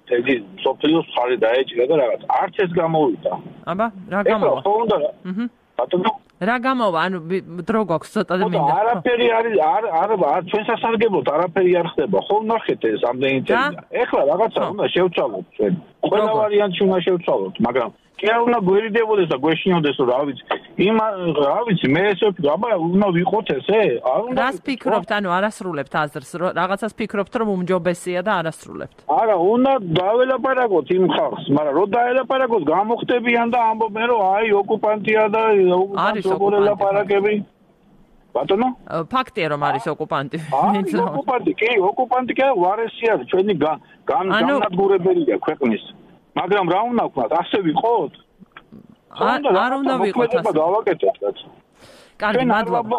თეგი სოფლიოს ხარი დაეჭირა და რაღაც არც ეს გამოვიდა. აბა რა გამოვა? ხო უნდა ბატონო რა გამოვა? ანუ დრო გვაქვს ცოტა და მინდა. არაფერი არის არ არ ჩვენ სასარგებლოდ არაფერი არ ხდება. ხო ნახეთ ეს ამდენი წელი. ეხლა რაღაცა უნდა შევცვალოთ ჩვენ. ყველა ვარიანტი უნდა შევცვალოთ, მაგრამ კი არ უნდა გვერიდებოდეს და გვეშინოდეს რა ვიცი. იმ რა ვიცი მე ესე ვფიქრობ, აბა უნდა ვიყოთ ესე? არ უნდა. რას ფიქრობთ, ანუ არასრულებთ აზრს, რაღაცას ფიქრობთ რომ უმჯობესია და არასრულებთ. არა, უნდა დაველაპარაკოთ იმ ხალხს, მაგრამ რო დაელაპარაკოთ, გამოხდებიან და ამბობენ რომ აი ოკუპანტია და ოკუპანტს როგორ ელაპარაკები. ბატონო? ფაქტია რომ არის ოკუპანტი. აი, ოკუპანტი, კი, ოკუპანტი კი ვარესია, ჩვენი განადგურებელია ქვეყნის. მაგრამ რა უნდა ვქნათ, ასე ვიყოთ? არ უნდა ვიყოთ ასე. დავაკეთოთ რაც. კარგი, მადლობა.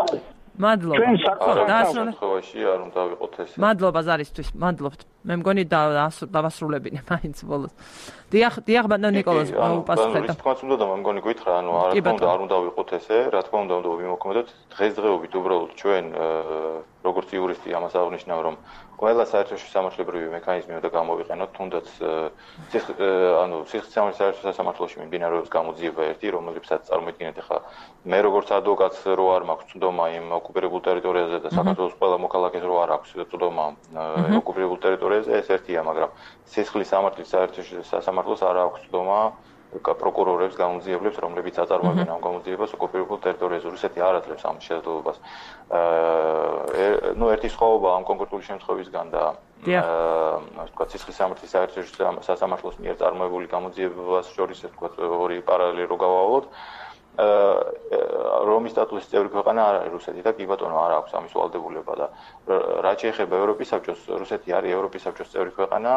მადლობა. ჩვენ საქმეში არ უნდა ვიყოთ ესე. მადლობა ზარისთვის, მადლობთ. მე მგონი დავასრულებინე მაინც ბოლოს. დიახ, დიახ ბატონ ნიკოლოზ, უპასუხეთ. თქოს უნდა და მე მგონი გითხრა, ანუ რა თქმა უნდა არ უნდა ვიყოთ ესე, რა თქმა უნდა უნდა ვიმოქმედოთ დღესდღეობით უბრალოდ ჩვენ როგორც იურისტი ამას აღნიშნავ რომ ყველა საერთაშორისო სამართლებრივი მექანიზმი უნდა გამოვიყენოთ, თუნდაც ანუ სიხის საერთაშორისო სასამართლოში მიმდინარეობს გამოძიება ერთი, რომელსაც წარმოიდგინეთ ახლა მე როგორც ადვოკატს რო არ მაქვს წვდომა იმ ოკუპირებულ ტერიტორიაზე და საქართველოს ყველა მოქალაქეს რო არ აქვს წვდომა ოკუპირებულ ტერიტორიაზე, ეს ერთია, მაგრამ სიხის სამართლის საერთაშორისო სასამართლოს არ აქვს წვდომა პროკურორებს, გამოძიებლებს, რომლებიც აწარმოებენ ამ გამოძიებას ოკუპირებულ ტერიტორიაზე. რუსეთი არ აძლევს ამ შესაძლებლობას. აა ნუ ერთი სხვაობა ამ კონკრეტული შემთხვევისგან და ასე ვთქვათ, სიხის სამართლის საერთაშორისო სასამართლოს მიერ წარმოებული გამოძიებას შორის ასე ვთქვათ, ორი პარალელი რო გავავლოთ. რომის სტატუსის წევრი ქვეყანა არ არის რუსეთი და კი ბატონო არ აქვს ამის ვალდებულება და რაც შეეხება ევროპის საბჭოს, რუსეთი არის ევროპის საბჭოს წევრი ქვეყანა,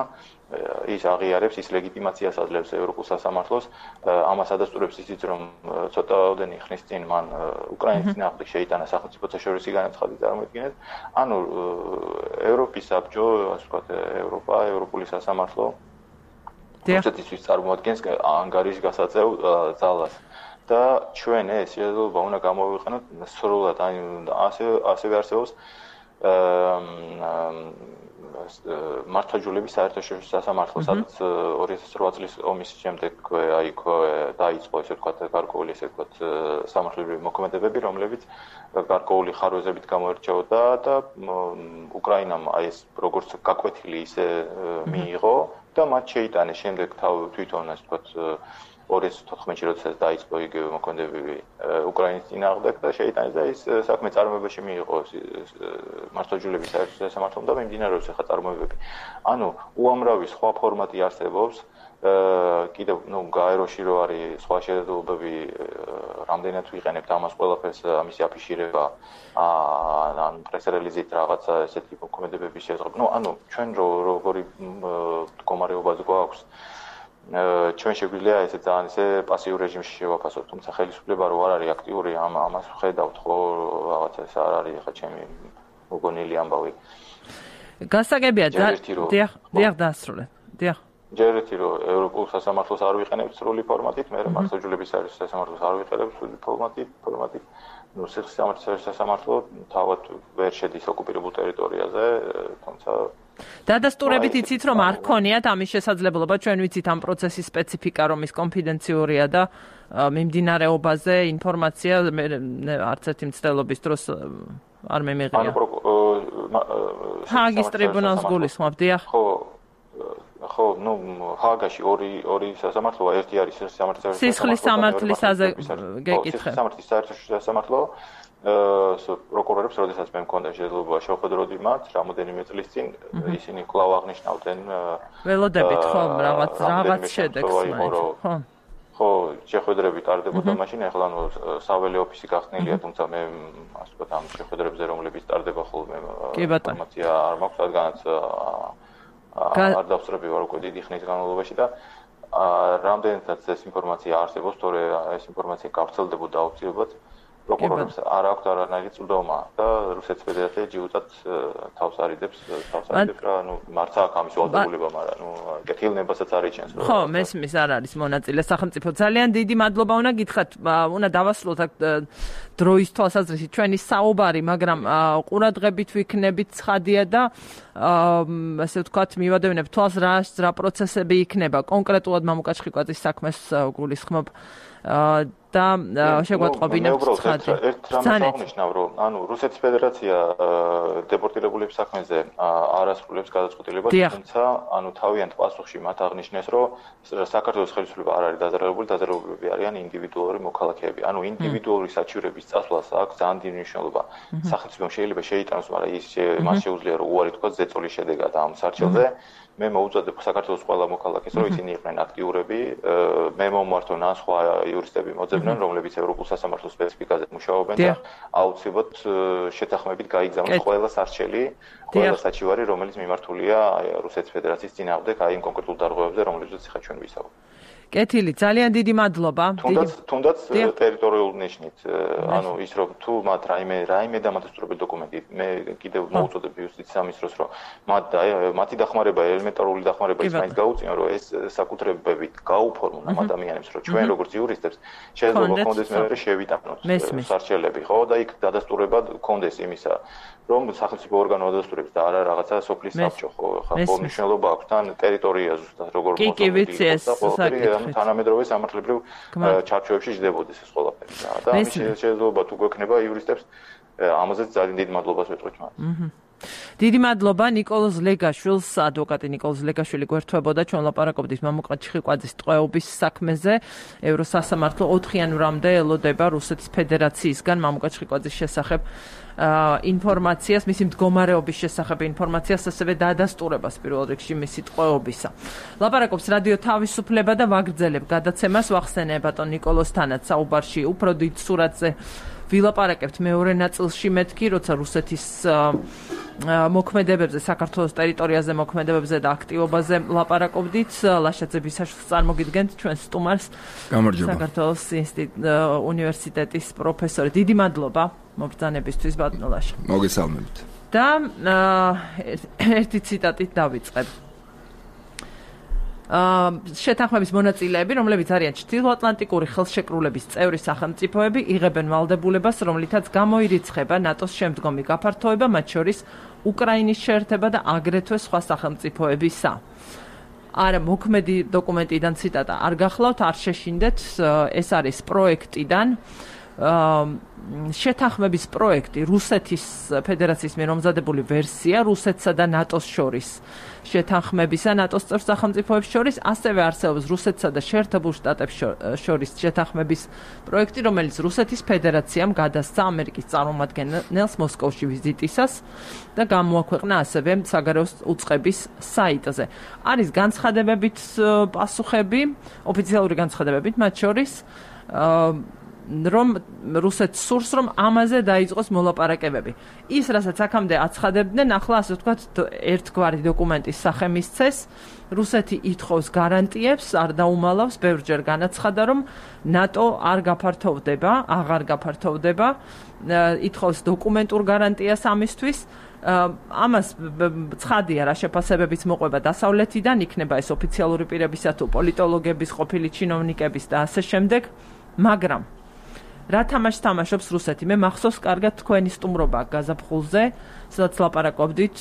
ის აღიარებს, ის ლეგიტიმაციას აძლევს ევროპულ სასამართლოს, ამას ადასტურებს ისიც, რომ ცოტაოდენი ხნის წინ მან უკრაინის წინააღმდეგ შეიტანა სახელმწიფო შორისი განაცხადი, წარმოიდგინეთ. ანუ ევროპის საბჭო, ასე ვთქვათ, ევროპა, ევროპული სასამართლო რუსეთისთვის წარმოადგენს ანგარიშ გასაწევ ძალას. და ჩვენ ეს შესაძლებლობა უნდა გამოვიყენოთ სრულად, ანუ ასე ასევე არსებობს მართლმსაჯულების საერთაშორისო სასამართლო, სადაც ორი ათას ოთხ წლის ომის შემდეგ აი დაიწყო ესე ვთქვათ გარკვეული ესე ვთქვათ სამართლებრივი მოქმედებები, რომლებიც გარკვეული ხარვეზებით გამოირჩეოდა და უკრაინამ აი ეს როგორც გაკვეთილი ისე მიიღო და მათ შეიტანეს შემდეგ თვითონ ასე ვთქვათ ორი ათას ოთხმეტში როდესაც დაიწყო იგივე მოქმედებები უკრაინის წინააღმდეგ და შეიტანეს და ის საქმე წარმოებაში მიიღო მართლმსაჯულების საერთაშორისო სასამართლომ და მიმდინარეობს ახლა წარმოებები. ანუ უამრავი სხვა ფორმატი არსებობს, კიდევ ნუ გაეროში რო არის სხვა შესაძლებლობები, რამდენად ვიყენებთ ამას ყველაფერს, ამისი აფიშირება, ან პრესრელიზით რაღაცა ესეთი მოქმედებების შესაძლებლობა. ნუ ანუ ჩვენ როგორი მდგომარეობაც გვაქვს ჩვენ შეგვიძლია ესე ძალიან ესე პასიურ რეჟიმში შევაფასოთ, თუმცა ხელისუფლება რო არ არის აქტიური, ამ ამას ვხედავთ ხო, რაღაცა ეს არ არის ახლა ჩემი მოგონილი ამბავი. გასაგებია, დიახ, დიახ დაასრულე. დიახ. ჯერ ერთი რომ ევროპულ სასამართლოს არ ვიყენებთ სრული ფორმატით, მე მართლმსაჯულების საერთაშორისო სასამართლოს არ ვიყენებთ სრული ფორმატით, ფორმატით. ნუ სიხის სამართლის სასამართლო თავად ვერ შედის ოკუპირებულ ტერიტორიაზე, თუმცა დადასტურებით იცით რომ არ ქონიათ ამის შესაძლებლობა, ჩვენ ვიცით ამ პროცესის სპეციფიკა რომ ის კონფიდენციურია და მიმდინარეობაზე ინფორმაცია არც ერთი მცდელობის დროს არ მემიღია. ჰააგის ტრიბუნალს გულისხმობ, დიახ. ხო, ხო, ნუ ჰააგაში ორი ორი სასამართლოა, ერთი არის სიხის სამართლის სიხლის სამართლისაზე გეკითხე. სიხის სამართლის საერთაშორისო სასამართლო პროკურორებს, როდესაც მე მქონდა შესაძლებლობა შევხვედროდი მათ, რამოდენიმე წლის წინ ისინი კვლავ აღნიშნავდნენ ველოდებით ხო, რაღაც რაღაც შედეგს მაინც, ხო. ხო, შეხვედრები ტარდებოდა მაშინ, ახლა ნუ საველე ოფისი გახსნილია, თუმცა მე ასე ვთქვათ, ამ შეხვედრებზე რომლებიც ტარდება ხოლმე ინფორმაცია არ მაქვს, რადგანაც არ დავსწრები ვარ უკვე დიდი ხნის განმავლობაში და რამდენადაც ეს ინფორმაცია არსებობს, თორე ეს ინფორმაცია გავრცელდებოდა აუცილებლად პროკურორებს არ აქვს არანაირი წვდომა და რუსეთის ფედერაცია ჯიუტად თავს არიდებს, თავს არიდებს რა, ნუ მარც აქვს ამის ვალდებულება, მაგრამ ნუ კეთილნებასაც არ იჩენს. ხო, მესმის არ არის მონაწილე სახელმწიფო. ძალიან დიდი მადლობა უნდა გითხრათ, უნდა დავასრულოთ აქ დროის თვალსაზრისით ჩვენი საუბარი, მაგრამ ყურადღებით ვიქნებით ცხადია და ასე ვთქვათ, მივადევნებ თვალს რა რა პროცესები იქნება. კონკრეტულად მამუკა ჩხიკვაძის საქმეს გულისხმობ. და შეგვატყობინა ცხადი. ერთ რამეს აღნიშნავ, რომ ანუ რუსეთის ფედერაცია დეპორტირებულების საქმეზე არ ასრულებს გადაწყვეტილებას, თუმცა ანუ თავიანთ პასუხში მათ აღნიშნეს, რომ საქართველოს ხელისუფლება არ არის დაზარალებული, დაზარალებულები არიან ინდივიდუალური მოქალაქეები. ანუ ინდივიდუალური საჩივრების წასვლას აქვს ძალიან დიდი მნიშვნელობა. სახელმწიფომ შეიძლება შეიტანოს, მაგრამ ის მას შეუძლია რომ უარი თქვა ზეწოლის შედეგად ამ სარჩელზე. მე მოუწოდებ საქართველოს ყველა მოქალაქეს, რომ ისინი იყვნენ აქტიურები, მე მომმართონ ან სხვა იურისტები მოძებნონ, რომლებიც ევროპულ სასამართლოს სპეციფიკაზე მუშაობენ და აუცილებლად შეთანხმებით გაიგზავნოს ყველა სარჩელი, ყველა საჩივარი, რომელიც მიმართულია რუსეთის ფედერაციის წინააღმდეგ აი იმ კონკრეტულ დარღვევებზე, რომლებზეც ხა ჩვენ ვისაუბრებთ. კეთილი, ძალიან დიდი მადლობა. თუნდაც თუნდაც ტერიტორიულ ნიშნით, ანუ ის რომ თუ მათ რაიმე რაიმე დამადასტურებელი დოკუმენტი, მე კიდევ მოუწოდებ იუსტიციის სამინისტროს, რომ მათ მათი დახმარება, ელემენტარული დახმარება ის მაინც გაუწიონ, რომ ეს საკუთრებებით გაუფორმონ ამ ადამიანებს, რომ ჩვენ როგორც იურისტებს შეიძლება გქონდეს მეორე შევიტანოთ სარჩელები, ხო? და იქ დადასტურება გქონდეს იმისა, რომ სახელმწიფო ორგანო ადასტურებს და არა რაღაცა სოფლის საბჭო, ხო? ხა მნიშვნელობა აქვს თან ტერიტორია ზუსტად როგორ მოხდა. თანამედროვე სამართლებრივ ჩარჩოებში ჯდებოდეს ეს ყველაფერი და ამის შესაძლებლობა თუ გვექნება იურისტებს ამაზეც ძალიან დიდი მადლობას ვეთქვით მათ. დიდი მადლობა ნიკოლოზ ლეგაშვილს, ადვოკატი ნიკოლოზ ლეგაშვილი გვერდებოდა, ჩვენ ლაპარაკობდით მამუკა ჩიხიკვაძის ტყვეობის საქმეზე. ევროსასამართლო ოთხ იანვრამდე ელოდება რუსეთის ფედერაციისგან მამუკა ჩიხიკვაძის შესახებ ინფორმაციას, მისი მდგომარეობის შესახებ ინფორმაციას, ასევე დადასტურებას პირველ რიგში მისი ტყვეობისა. ლაპარაკობს რადიო თავისუფლება და ვაგრძელებ გადაცემას, ვახსენე ბატონ ნიკოლოზთანაც საუბარში უფრო დიდ სურათზე ვილაპარაკებთ მეორე ნაწილში მეთქი, როცა რუსეთის მოქმედებებზე, საქართველოს ტერიტორიაზე მოქმედებებზე და აქტივობაზე ლაპარაკობდით. ლაშაძე ბისაშვილს წარმოგიდგენთ ჩვენ სტუმარს, საქართველოს უნივერსიტეტის პროფესორი. დიდი მადლობა მობრძანებისთვის ბატონო ლაშა. მოგესალმებით. და ერთი ციტატით დავიწყებ. შეთანხმების მონაწილეები, რომლებიც არიან ჩრდილოატლანტიკური ხელშეკრულების წევრი სახელმწიფოები, იღებენ ვალდებულებას, რომლითაც გამოირიცხება ნატოს შემდგომი გაფართოება, მათ შორის უკრაინის შეერთება და აგრეთვე სხვა სახელმწიფოებისა. არა, მოქმედი დოკუმენტიდან ციტატა არ გახლავთ, არ შეშინდეთ, ეს არის პროექტიდან. შეთანხმების პროექტი რუსეთის ფედერაციის მიერ მომზადებული ვერსია რუსეთსა და ნატოს შორის შეთანხმებისა ნატოს წევრ სახელმწიფოებს შორის ასევე არსებობს რუსეთსა და შეერთებულ შტატებს შორის შეთანხმების პროექტი, რომელიც რუსეთის ფედერაციამ გადასცა ამერიკის წარმომადგენელს მოსკოვში ვიზიტისას და გამოაქვეყნა ასევე საგარეო უწყების საიტზე. არის განცხადებებით პასუხები, ოფიციალური განცხადებებით, მათ შორის რომ რუსეთს სურს, რომ ამაზე დაიწყოს მოლაპარაკებები. ის, რასაც აქამდე აცხადებდნენ, ახლა ასე ვთქვათ, ერთგვარი დოკუმენტის სახე მისცეს. რუსეთი ითხოვს გარანტიებს, არ დაუმალავს, ბევრჯერ განაცხადა, რომ ნატო არ გაფართოვდება, აღარ გაფართოვდება, ითხოვს დოკუმენტურ გარანტიას ამისთვის. ამას ცხადია რა შეფასებებიც მოყვება დასავლეთიდან, იქნება ეს ოფიციალური პირებისა თუ პოლიტოლოგების, ყოფილი ჩინოვნიკების და ასე შემდეგ, მაგრამ რა თამაშს თამაშობს რუსეთი? მე მახსოვს კარგად თქვენი სტუმრობა გაზაფხულზე, სადაც ლაპარაკობდით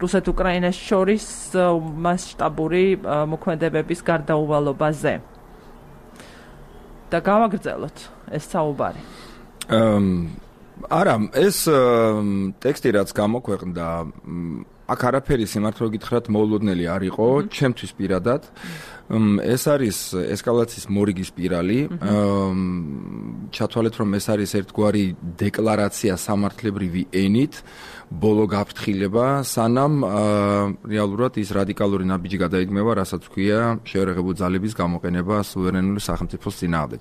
რუსეთ-უკრაინას შორის მასშტაბური მოქმედებების გარდაუვალობაზე. და გავაგრძელოთ ეს საუბარი. არა, ეს ტექსტი რაც გამოქვეყნდა, აქ არაფერი სიმართლე გითხრათ მოულოდნელი არ იყო, ჩემთვის პირადად. ეს არის ესკალაციის მორიგი სპირალი. ჩათვალეთ, რომ ეს არის ერთგვარი დეკლარაცია სამართლებრივი ენით, ბოლო გაფრთხილება, სანამ რეალურად ის რადიკალური ნაბიჯი გადაიგმება, რასაც ქვია შეერაღებული ძალების გამოყენება სუვერენული სახელმწიფოს წინააღმდეგ.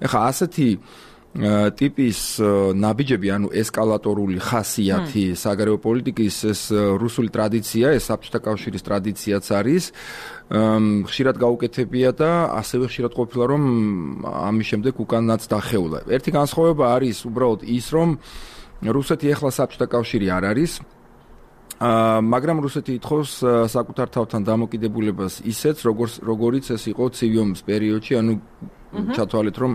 ეხლა ასეთი ტიპის ნაბიჯები, ანუ ესკალატორული ხასიათი საგარეო პოლიტიკის, ეს რუსული ტრადიცია, ეს საბჭოთა კავშირის ტრადიციაც არის. ხშირად გაუკეთებია და ასევე ხშირად ყოფილა, რომ ამის შემდეგ უკანაც დახეულა. ერთი განსხვავება არის უბრალოდ ის, რომ რუსეთი ეხლა საბჭოთა კავშირი არ არის, მაგრამ რუსეთი ითხოვს საკუთარ თავთან დამოკიდებულებას ისეც, როგორიც ეს იყო ცივი ომის პერიოდში, ანუ ჩათვალეთ, რომ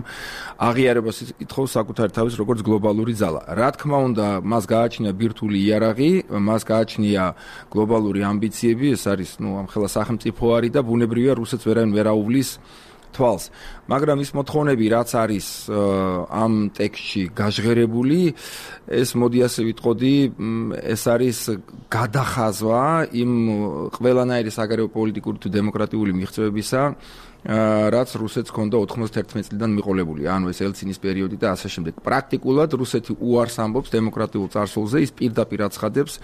აღიარებას ითხოვს საკუთარ თავის როგორც გლობალური ძალა. რა თქმა უნდა, მას გააჩნია ბირთვული იარაღი, მას გააჩნია გლობალური ამბიციები, ეს არის, ნუ ამხელა სახელმწიფო არის და ბუნებრივია რუსეთს ვერავინ ვერ აუვლის თვალს. მაგრამ ის მოთხოვნები, რაც არის ამ ტექსტში გაჟღერებული, ეს მოდი ასე ვიტყოდი, ეს არის გადახაზვა იმ ყველანაირი საგარეო პოლიტიკური თუ დემოკრატიული მიღწევებისა, რაც რუსეთს ჰქონდა ოთხმოცდაერთმეტი წლიდან მიყოლებული, ანუ ეს ელცინის პერიოდი და ასე შემდეგ. პრაქტიკულად რუსეთი უარს ამბობს დემოკრატიულ წარსულზე, ის პირდაპირ აცხადებს,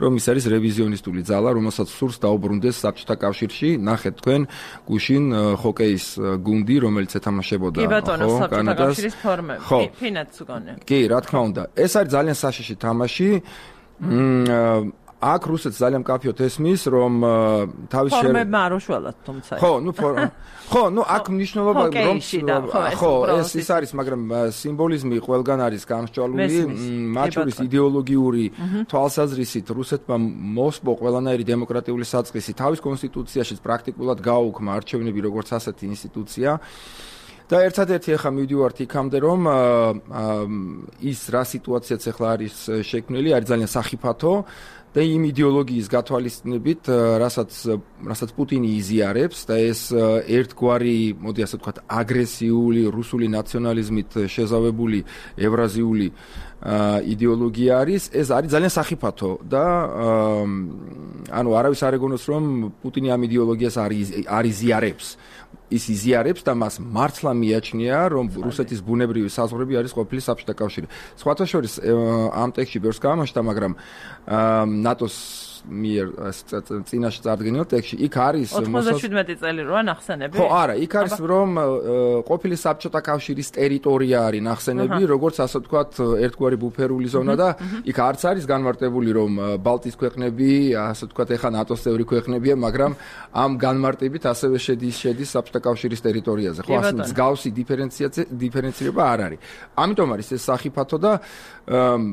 რომ ის არის რევიზიონისტული ძალა, რომელსაც სურს დაუბრუნდეს საბჭოთა კავშირში. ნახეთ თქვენ, გუშინ ჰოკეის გუნდი, რომელიც ეთამაშებოდა კანადას ფინეთს გონე. კი, რა თქმა უნდა. ეს არის ძალიან საშიში თამაში. აქ რუსეთს ძალიან მკაფიოდ ესმის, რომ თავის ფორმებმა არ უშველათ, თუმცა. ხო, ნუ ხო, ნუ აქ მნიშვნელობა რომ ხო, ეს ის არის, მაგრამ სიმბოლიზმი ყველგან არის გამსჭვალული, მათ შორის იდეოლოგიური თვალსაზრისით რუსეთმა მოსპო ყველანაირი დემოკრატიული საწყისი თავის კონსტიტუციაშიც პრაქტიკულად გააუქმა არჩევნები როგორც ასეთი ინსტიტუცია. და ერთადერთი ახლა მივდივართ იქამდე, რომ ის რა სიტუაციაც ახლა არის შექმნილი, არის ძალიან სახიფათო და იმ იდეოლოგიის გათვალისწინებით, რასაც რასაც პუტინი იზიარებს და ეს ერთგვარი, მოდი ასე ვთქვათ, აგრესიული რუსული ნაციონალიზმით შეზავებული ევრაზიული იდეოლოგია არის, ეს არის ძალიან სახიფათო და ანუ არავის არ ეგონოს, რომ პუტინი ამ იდეოლოგიას არ იზიარებს. ის იზიარებს და მას მართლა მიაჩნია, რომ რუსეთის ბუნებრივი საზღვრები არის ყოფილი საბჭოთა კავშირი. სხვათა შორის ამ ტექსტში ბევრს გაამაშთა, მაგრამ ნატოს მიერ წინაშე წარდგენილ ტექსტში იქ არის ოცდაშვიდმეტი წელი როა ნახსენები? ხო, არა, იქ არის რომ ყოფილი საბჭოთა კავშირის ტერიტორია არის ნახსენები, როგორც ასე ვთქვათ, ერთგვარი ბუფერული ზონა და იქ არც არის განმარტებული, რომ ბალტიის ქვეყნები, ასე ვთქვათ, ეხა ნატოს წევრი ქვეყნებია, მაგრამ ამ განმარტებით ასევე შედის შედის საბჭოთა კავშირის ტერიტორიაზე. ხო, ასე მსგავსი დიფერენციაცია დიფერენცირება არ არის. ამიტომ არის ეს სახიფათო და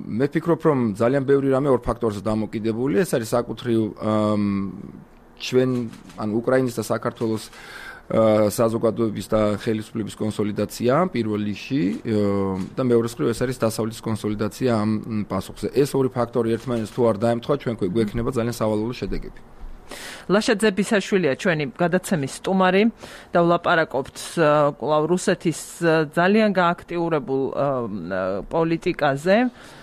მე ვფიქრობ, რომ ძალიან ბევრი რამე ორ ფაქტორზე დამოკიდებული, ეს არის საკუთრივ ჩვენ, ანუ უკრაინის და საქართველოს საზოგადოების და ხელისუფლების კონსოლიდაცია პირველ რიგში და მეორე მხრივ ეს არის დასავლეთის კონსოლიდაცია ამ პასუხზე. ეს ორი ფაქტორი ერთმანეთს თუ არ დაემთხვა, ჩვენ გვექნება ძალიან სავალალო შედეგები. ლაშა ძებისაშვილია ჩვენი გადაცემის სტუმარი და ვლაპარაკობთ კვლავ რუსეთის ძალიან გააქტიურებულ პოლიტიკაზე,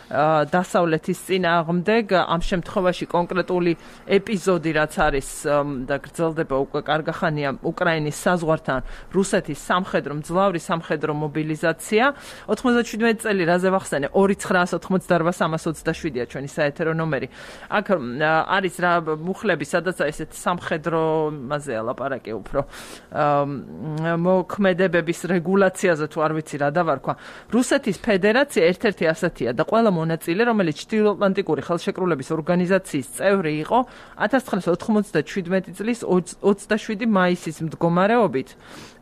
დასავლეთის წინააღმდეგ, ამ შემთხვევაში კონკრეტული ეპიზოდი, რაც არის და გრძელდება უკვე კარგახანია უკრაინის საზღვართან, რუსეთის სამხედრო მძლავრი სამხედრო მობილიზაცია. ოცდაშვიდმეტი წელი რაზე ვახსენე, ორი ცხრაას ოცდაოთხ სამას ოცდაშვიდია ჩვენი საეთერო ნომერი. აქ არის რა მუხლები, სადაც ესეთ სამხედრომაზეა ლაპარაკი უფრო მოქმედებების რეგულაციაზე თუ არ ვიცი რა დავარქვა. რუსეთის ფედერაცია ერთ-ერთი ასეთია და ყველა მონაწილე, რომელიც ჩრდილოატლანტიკური ხელშეკრულების ორგანიზაციის წევრი იყო, ათას ცხრაას ოთხმოცდაშვიდმეტი წლის ოცდაშვიდი მაისის მდგომარეობით,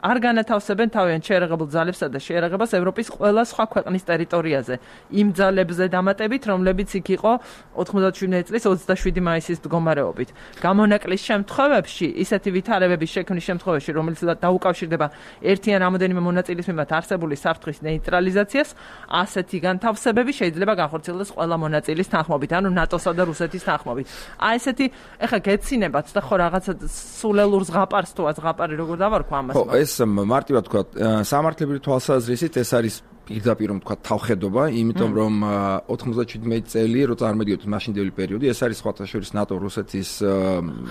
არ განათავსებენ თავიანთ შეერაღებულ ძალებსა და შეერაღებას ევროპის ყველა სხვა ქვეყნის ტერიტორიაზე. იმ ძალებზე დამატებით, რომლებიც იქ იყო ოთხმოცდაშვიდმეტი წლის ოცდაშვიდი მაისის მდგომარეობით. გამონაკლის შემთხვევებში, ისეთი ვითარებების შექმნის შემთხვევაში, რომელიც დაუკავშირდება ერთი ან რამოდენიმე მონაწილის მიმართ არსებული საფრთხის ნეიტრალიზაციას, ასეთი განთავსებები შეიძლება განხორციელდეს ყველა მონაწილის თანხმობით, ანუ ნატოსა და რუსეთის თანხმობით. აი ესეთი, ეხლა გეცინებათ და ხო რაღაცა სულელურ ზღაპარს თუ ზღაპარი როგორ დავარქვა ამას? ხო, ეს მარტივად თქვა, სამართლებრივი თვალსაზრისით ეს არის პირდაპირ თქვა თავხედობა, იმიტომ რომ ოცდაშვიდმეტი წელი, რო წარმოდიოთ მაშინდელი პერიოდი, ეს არის სხვათა შორის ნატო რუსეთის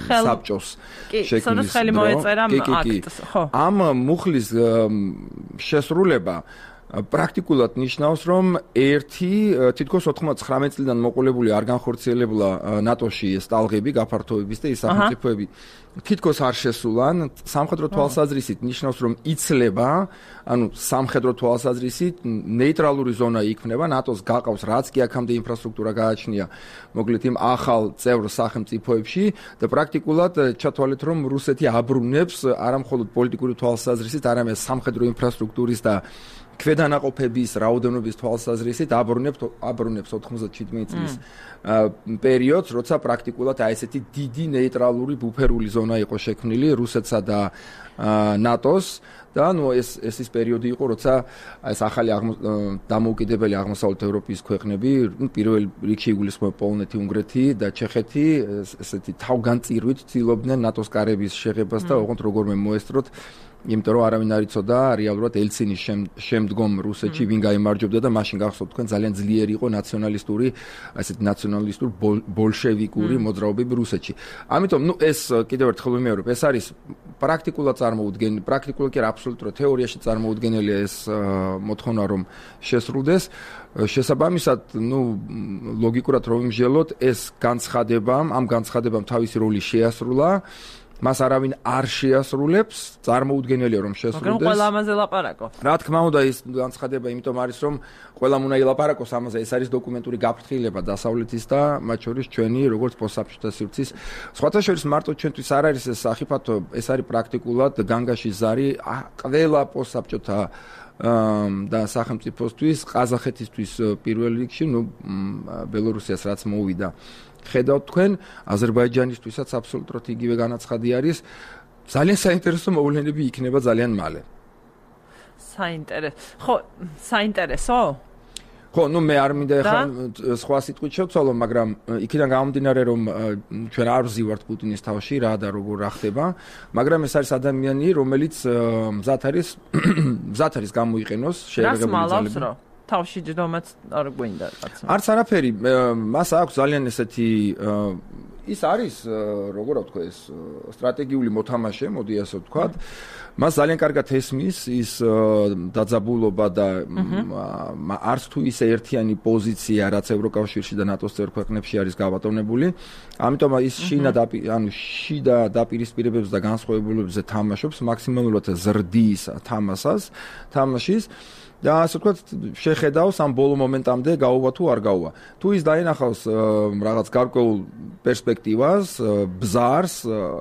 საბჭოს შექმნის აქტს. ამ მუხლის შესრულება პრაქტიკულად ნიშნავს, რომ ერთი თითქოს ოცდათხმეტი წლიდან მოყოლებული არ განხორციელებულა ნატოში ეს ტალღები, გაფართოების და ის სახელმწიფოები თითქოს არ შესულან. სამხედრო თვალსაზრისით ნიშნავს, რომ იცლება, ანუ სამხედრო თვალსაზრისით ნეიტრალური ზონა იქმნება, ნატოს გაყავს რაც კი აქამდე ინფრასტრუქტურა გააჩნია, მოკლედ იმ ახალ წევრ სახელმწიფოებში და პრაქტიკულად ჩათვალეთ, რომ რუსეთი აბრუნებს არა მხოლოდ პოლიტიკური თვალსაზრისით, არამედ სამხედრო ინფრასტრუქტურის და ქვედანაყოფების რაოდენობის თვალსაზრისით აბრუნებს აბრუნებს ოცდაშვიდმეტი წლის პერიოდს, როცა პრაქტიკულად აი ესეთი დიდი ნეიტრალური ბუფერული ზონა იყო შექმნილი რუსეთსა და ნატოს და ნუ ეს ეს ის პერიოდი იყო, როცა ეს ახალი დამოუკიდებელი აღმოსავლეთ ევროპის ქვეყნები, პირველ რიგში იგულისხმება პოლონეთი, უნგრეთი და ჩეხეთი, ესეთი თავგანწირვით ცდილობდნენ ნატოს კარების შეღებას და ოღონდ როგორმე მოესწროთ იმიტომ რომ არავინ არ იცოდა რეალურად ელცინის შემდგომ რუსეთში ვინ გაიმარჯვებდა და მაშინ გახსოვთ თქვენ ძალიან ძლიერი იყო ნაციონალისტური, ასეთ ნაციონალისტური ბოლშევიკური მოძრაობები რუსეთში. ამიტომ ნუ ეს კიდევ ერთხელ ვიმეორებ, ეს არის პრაქტიკულად წარმოუდგენელი, პრაქტიკულად კი არა აბსოლუტურად თეორიაში წარმოუდგენელია ეს მოთხოვნა რომ შესრულდეს. შესაბამისად, ნუ ლოგიკურად რომ ვიმსჯელოთ, ეს განცხადება, ამ განცხადებამ თავისი როლი შეასრულა. მას არავინ არ შეასრულებს, წარმოუდგენელია რომ შესრულდეს. მაგრამ ყველა ამაზე ლაპარაკობს. რა თქმა უნდა, ის განცხადება იმიტომ არის, რომ ყველამ უნდა ილაპარაკოს ამაზე, ეს არის დოკუმენტური გაფრთხილება დასავლეთის და მათ შორის ჩვენი როგორც პოსტსაბჭოთა სივრცის. სხვათა შორის მარტო ჩვენთვის არ არის ეს სახიფათო, ეს არის პრაქტიკულად განგაშის ზარი ყველა პოსტსაბჭოთა და სახელმწიფოსთვის, ყაზახეთისთვის პირველ რიგში, ნუ ბელორუსიას რაც მოვიდა. ხედავთ თქვენ, აზერბაიჯანისთვისაც აბსოლუტურად იგივე განაცხადი არის. ძალიან საინტერესო მოვლენები იქნება ძალიან მალე. საინტერესო. ხო, საინტერესო? ხო, ნუ მე არ მინდა ახლა სხვა სიტყვით შევცვალო, მაგრამ იქიდან გამომდინარე რომ ჩვენ არ ვზივართ პუტინის თავში რა და როგორ რა ხდება, მაგრამ ეს არის ადამიანი, რომელიც მზად არის მზად არის გამოიყენოს შეერაღებული ძალები. თავში ჯდომაც არ გვინდა კაცო. არც არაფერი, მას აქვს ძალიან ესეთი ის არის, როგორ ვთქვა ეს სტრატეგიული მოთამაშე, მოდი ასე ვთქვა. მას ძალიან კარგად ესმის ის დაძაბულობა და არც თუ ისე ერთიანი პოზიცია, რაც ევროკავშირში და ნატოს წევრ ქვეყნებში არის გავატონებული. ამიტომ ის შინა ანუ შიდა დაპირისპირებებს და განსხვავებულებზე თამაშობს მაქსიმალურად ზრდის თამასას, თამაშის. და ასე ვთქვათ, შეხედავს ამ ბოლო მომენტამდე გაუვა თუ არ გაუვა. თუ ის დაინახავს რაღაც გარკვეულ პერსპექტივას, ბზარს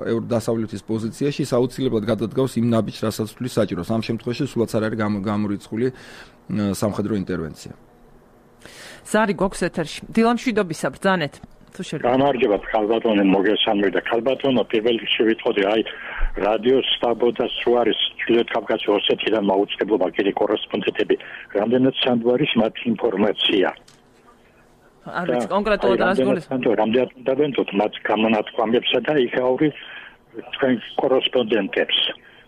დასავლეთის პოზიციაში, ის აუცილებლად გადადგავს იმ ნაბიჯს, რასაც თulis საჭიროს. ამ შემთხვევაში სულაც არ არის გამორიცხული სამხედრო ინტერვენცია. ზარი გვაქვს ეთერში. დილამშვიდობისა ბრძანეთ. გამარჯობა ქალბატონო, მოგესალმებით და ქალბატონო, პირველ რიგში ვიტყოდი, აი რადიოს სტაბოთა სუარის ჩრდილოეთ კავკასიის ოსეთიდან მაუწყებლობა კიდე კორესპონდენტები, რამდენად სანდვარის მათ ინფორმაცია. არ ვიცი კონკრეტულად რას გულისხმობთ. რამდენად დავენთოთ მათ გამონათქვამებსა და იქაური თქვენ კორესპონდენტებს.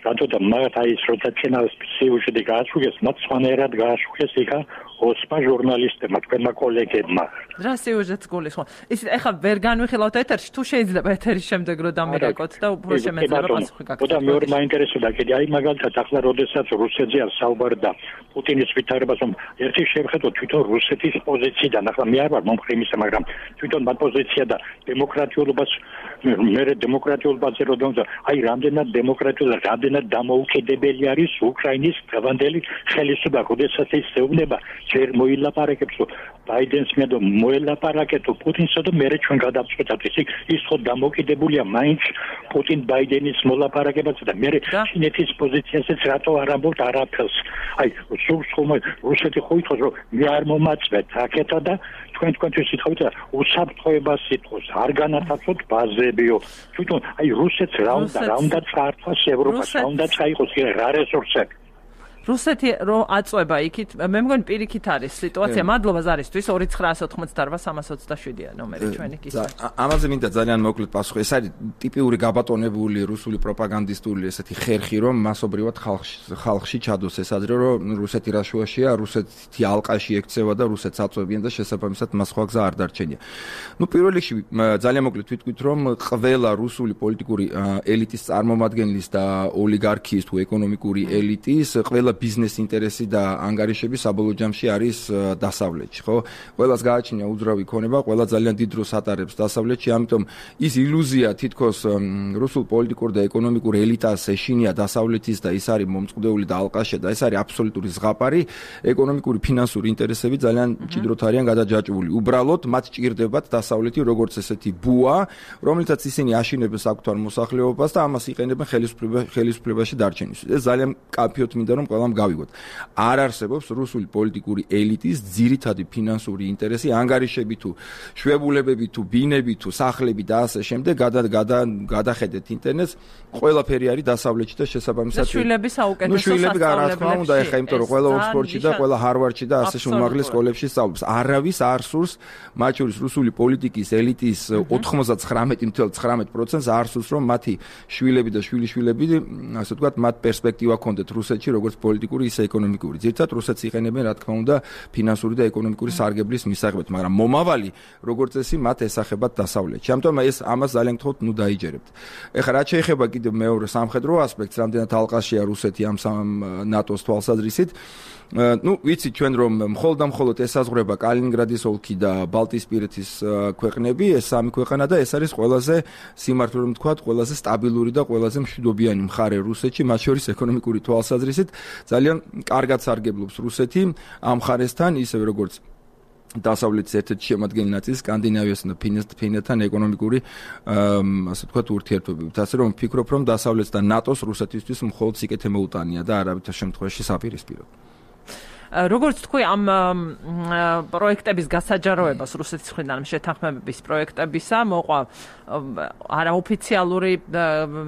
რატო და მათ აი ეს როცა ჩენას სიუჟეტი გააშუქეს, მათ სხვანაირად გააშუქეს იქა ოსმა ჟურნალისტებმა, თქვენმა კოლეგებმა. რა სიუჟეტს გულისხმობთ? ის ეხლა ვერ განვიხილავთ ეთერში, თუ შეიძლება ეთერის შემდეგ რომ დამირეკოთ და უფრო შემეძლება პასუხი გაგცეთ. და მეორე მაინტერესებდა კიდე აი მაგალითად ახლა როდესაც რუსეთზე საუბარი და პუტინის ვითარებას, რომ ერთი შევხედოთ თვითონ რუსეთის პოზიციიდან, ახლა მე არ ვარ მომხრე იმისა, მაგრამ თვითონ მათ პოზიცია და დემოკრატიულობას მე დემოკრატიულობაზე რომ აი რამდენად დემოკრატიული და რამდენად დამოუკიდებელი არის უკრაინის დღევანდელი ხელისუფლება, როდესაც ის ეუბნება ჯერ მოილაპარაკებს ბაიდენს მე და მოელაპარაკეთო პუტინსა და მე ჩვენ გადავწყვეტავთ ის ის ხო დამოუკიდებულია მაინც პუტინ ბაიდენის მოლაპარაკებაზე და მე ჩინეთის პოზიციასაც რატო არ ამბობთ არაფერს აი სულს ხომ რუსეთი ხო ითხოვს რომ მე არ მომაწვეთ აქეთა და თქვენ თქვენთვის ითხოვთ და უსაფრთხოებას ითხოვს არ განათავსოთ ბაზებიო თვითონ აი რუსეთს რა უნდა რა უნდა წაართვას ევროპას რა უნდა წაიყოს რა რესურსები რუსეთი რო აწובה იქით მე მგონი პირიქით არის სიტუაცია მადლობა ზარისთვის ორი ცხრაას ოთხმოცდაარბა სამას ოცდაშვიდია ნომერი ჩვენი კისერში ამაზე მინდა ძალიან მოკლედ პასუხი ეს არის ტიპიური გაბატონებული რუსული პროპაგანდისტული ესეთი ხერხი რომ მასობრივად ხალხში ხალხში ჩადოს ეს ადრე რომ რუსეთი რაშუაშია რუსეთი ალყაში ექცევა და რუსეთს აწვევიან და შესაბამისად მას სხვა გზა არ დარჩენია ნუ პირველ რიგში ძალიან მოკლედ ვიტყვით რომ ყველა რუსული პოლიტიკური ელიტის წარმომადგენლის და ოლიგარქიის თუ ეკონომიკური ელიტის ყველა ბიზნეს ინტერესი და ანგარიშები საბოლოო ჯამში არის დასავლეთში, ხო? ყველას გააჩნია უძრავი ქონება, ყველა ძალიან დიდ დროს ატარებს დასავლეთში, ამიტომ ის ილუზია თითქოს რუსულ პოლიტიკურ და ეკონომიკურ ელიტას ეშინია დასავლეთის და ის არის მომწყდეული და ალყაში და ეს არის აბსოლუტური ზღაპარი, ეკონომიკური ფინანსური ინტერესები ძალიან მჭიდროდ არიან გადაჯაჭვული. უბრალოდ მათ ჭირდებათ დასავლეთი როგორც ესეთი ბუა, რომელიცაც ისინი აშინებენ საკუთარ მოსახლეობას და ამას იყენებენ ხელისუფლებაში დარჩენისთვის. ეს ძალიან კაფეოთ მინდა რომ ყველა ამ გავიგოთ. არ არსებობს რუსული პოლიტიკური ელიტის ძირითადი ფინანსური ინტერესი, ანგარიშები თუ შვებულებები თუ ბინები თუ სახლები და ასე შემდეგ, გადახედეთ ინტერნეტს, ყველაფერი არის დასავლეთში და შესაბამისად შვილები საუკეთესო შვილები რა თქმა უნდა, ეხა იმიტომ რომ ყველა ოქსფორდში და ყველა ჰარვარდში და ასე უმაღლეს სკოლებში სწავლობს. არავის არ სურს მათ შორის რუსული პოლიტიკის ელიტის ოთხმოცდათხრამეტი ნული ცხრამეტი პროცენტს არ სურს რომ მათი შვილები და შვილიშვილები ასე ვთქვათ მათ პერსპექტივა ჰქონდეთ რუსეთში როგორც პოლიტიკური ისე ეკონომიკური. ძირითადად რუსეთს იყენებენ რა თქმა უნდა ფინანსური და ეკონომიკური სარგებლის მისაღებად, მაგრამ მომავალი როგორც წესი მათ ესახებათ დასავლეთში. ამიტომ ეს ამას ძალიან გთხოვთ, ნუ დაიჯერებთ. ეხლა რაც შეეხება კიდევ მეორე სამხედრო ასპექტს, რამდენად ალყაშია რუსეთი ამ ნატოს თვალსაზრისით, ну, ვიცით ჩვენ რომ მხოლოდ და მხოლოდ ესაზღვრება კალინინგრადის ოლქი და ბალტიისპირეთის ქვეყნები, ეს სამი ქვეყანა და ეს არის ყველაზე სიმართლე რომ ვთქვათ, ყველაზე სტაბილური და ყველაზე მშვიდობიანი მხარე რუსეთში, მათ შორის ეკონომიკური თვალსაზრისით ძალიან კარგად სარგებლობს რუსეთი ამ მხარესთან, ისევე როგორც დასავლეთის ერთ-ერთი შემადგენელი ნაწილი სკანდინავიასთან და ფინეთთან ეკონომიკური ასე ვთქვათ ურთიერთობებით. ასე რომ ვფიქრობ, რომ დასავლეთს და ნატოს რუსეთისთვის მხოლოდ სიკეთე მოუტანია და არავითარ შემთხვევაში საპირისპიროდ. როგორც თქვი ამ პროექტების გასაჯაროებას რუსეთის მხრიდან შეთანხმების პროექტებისა მოყვა არაოფიციალური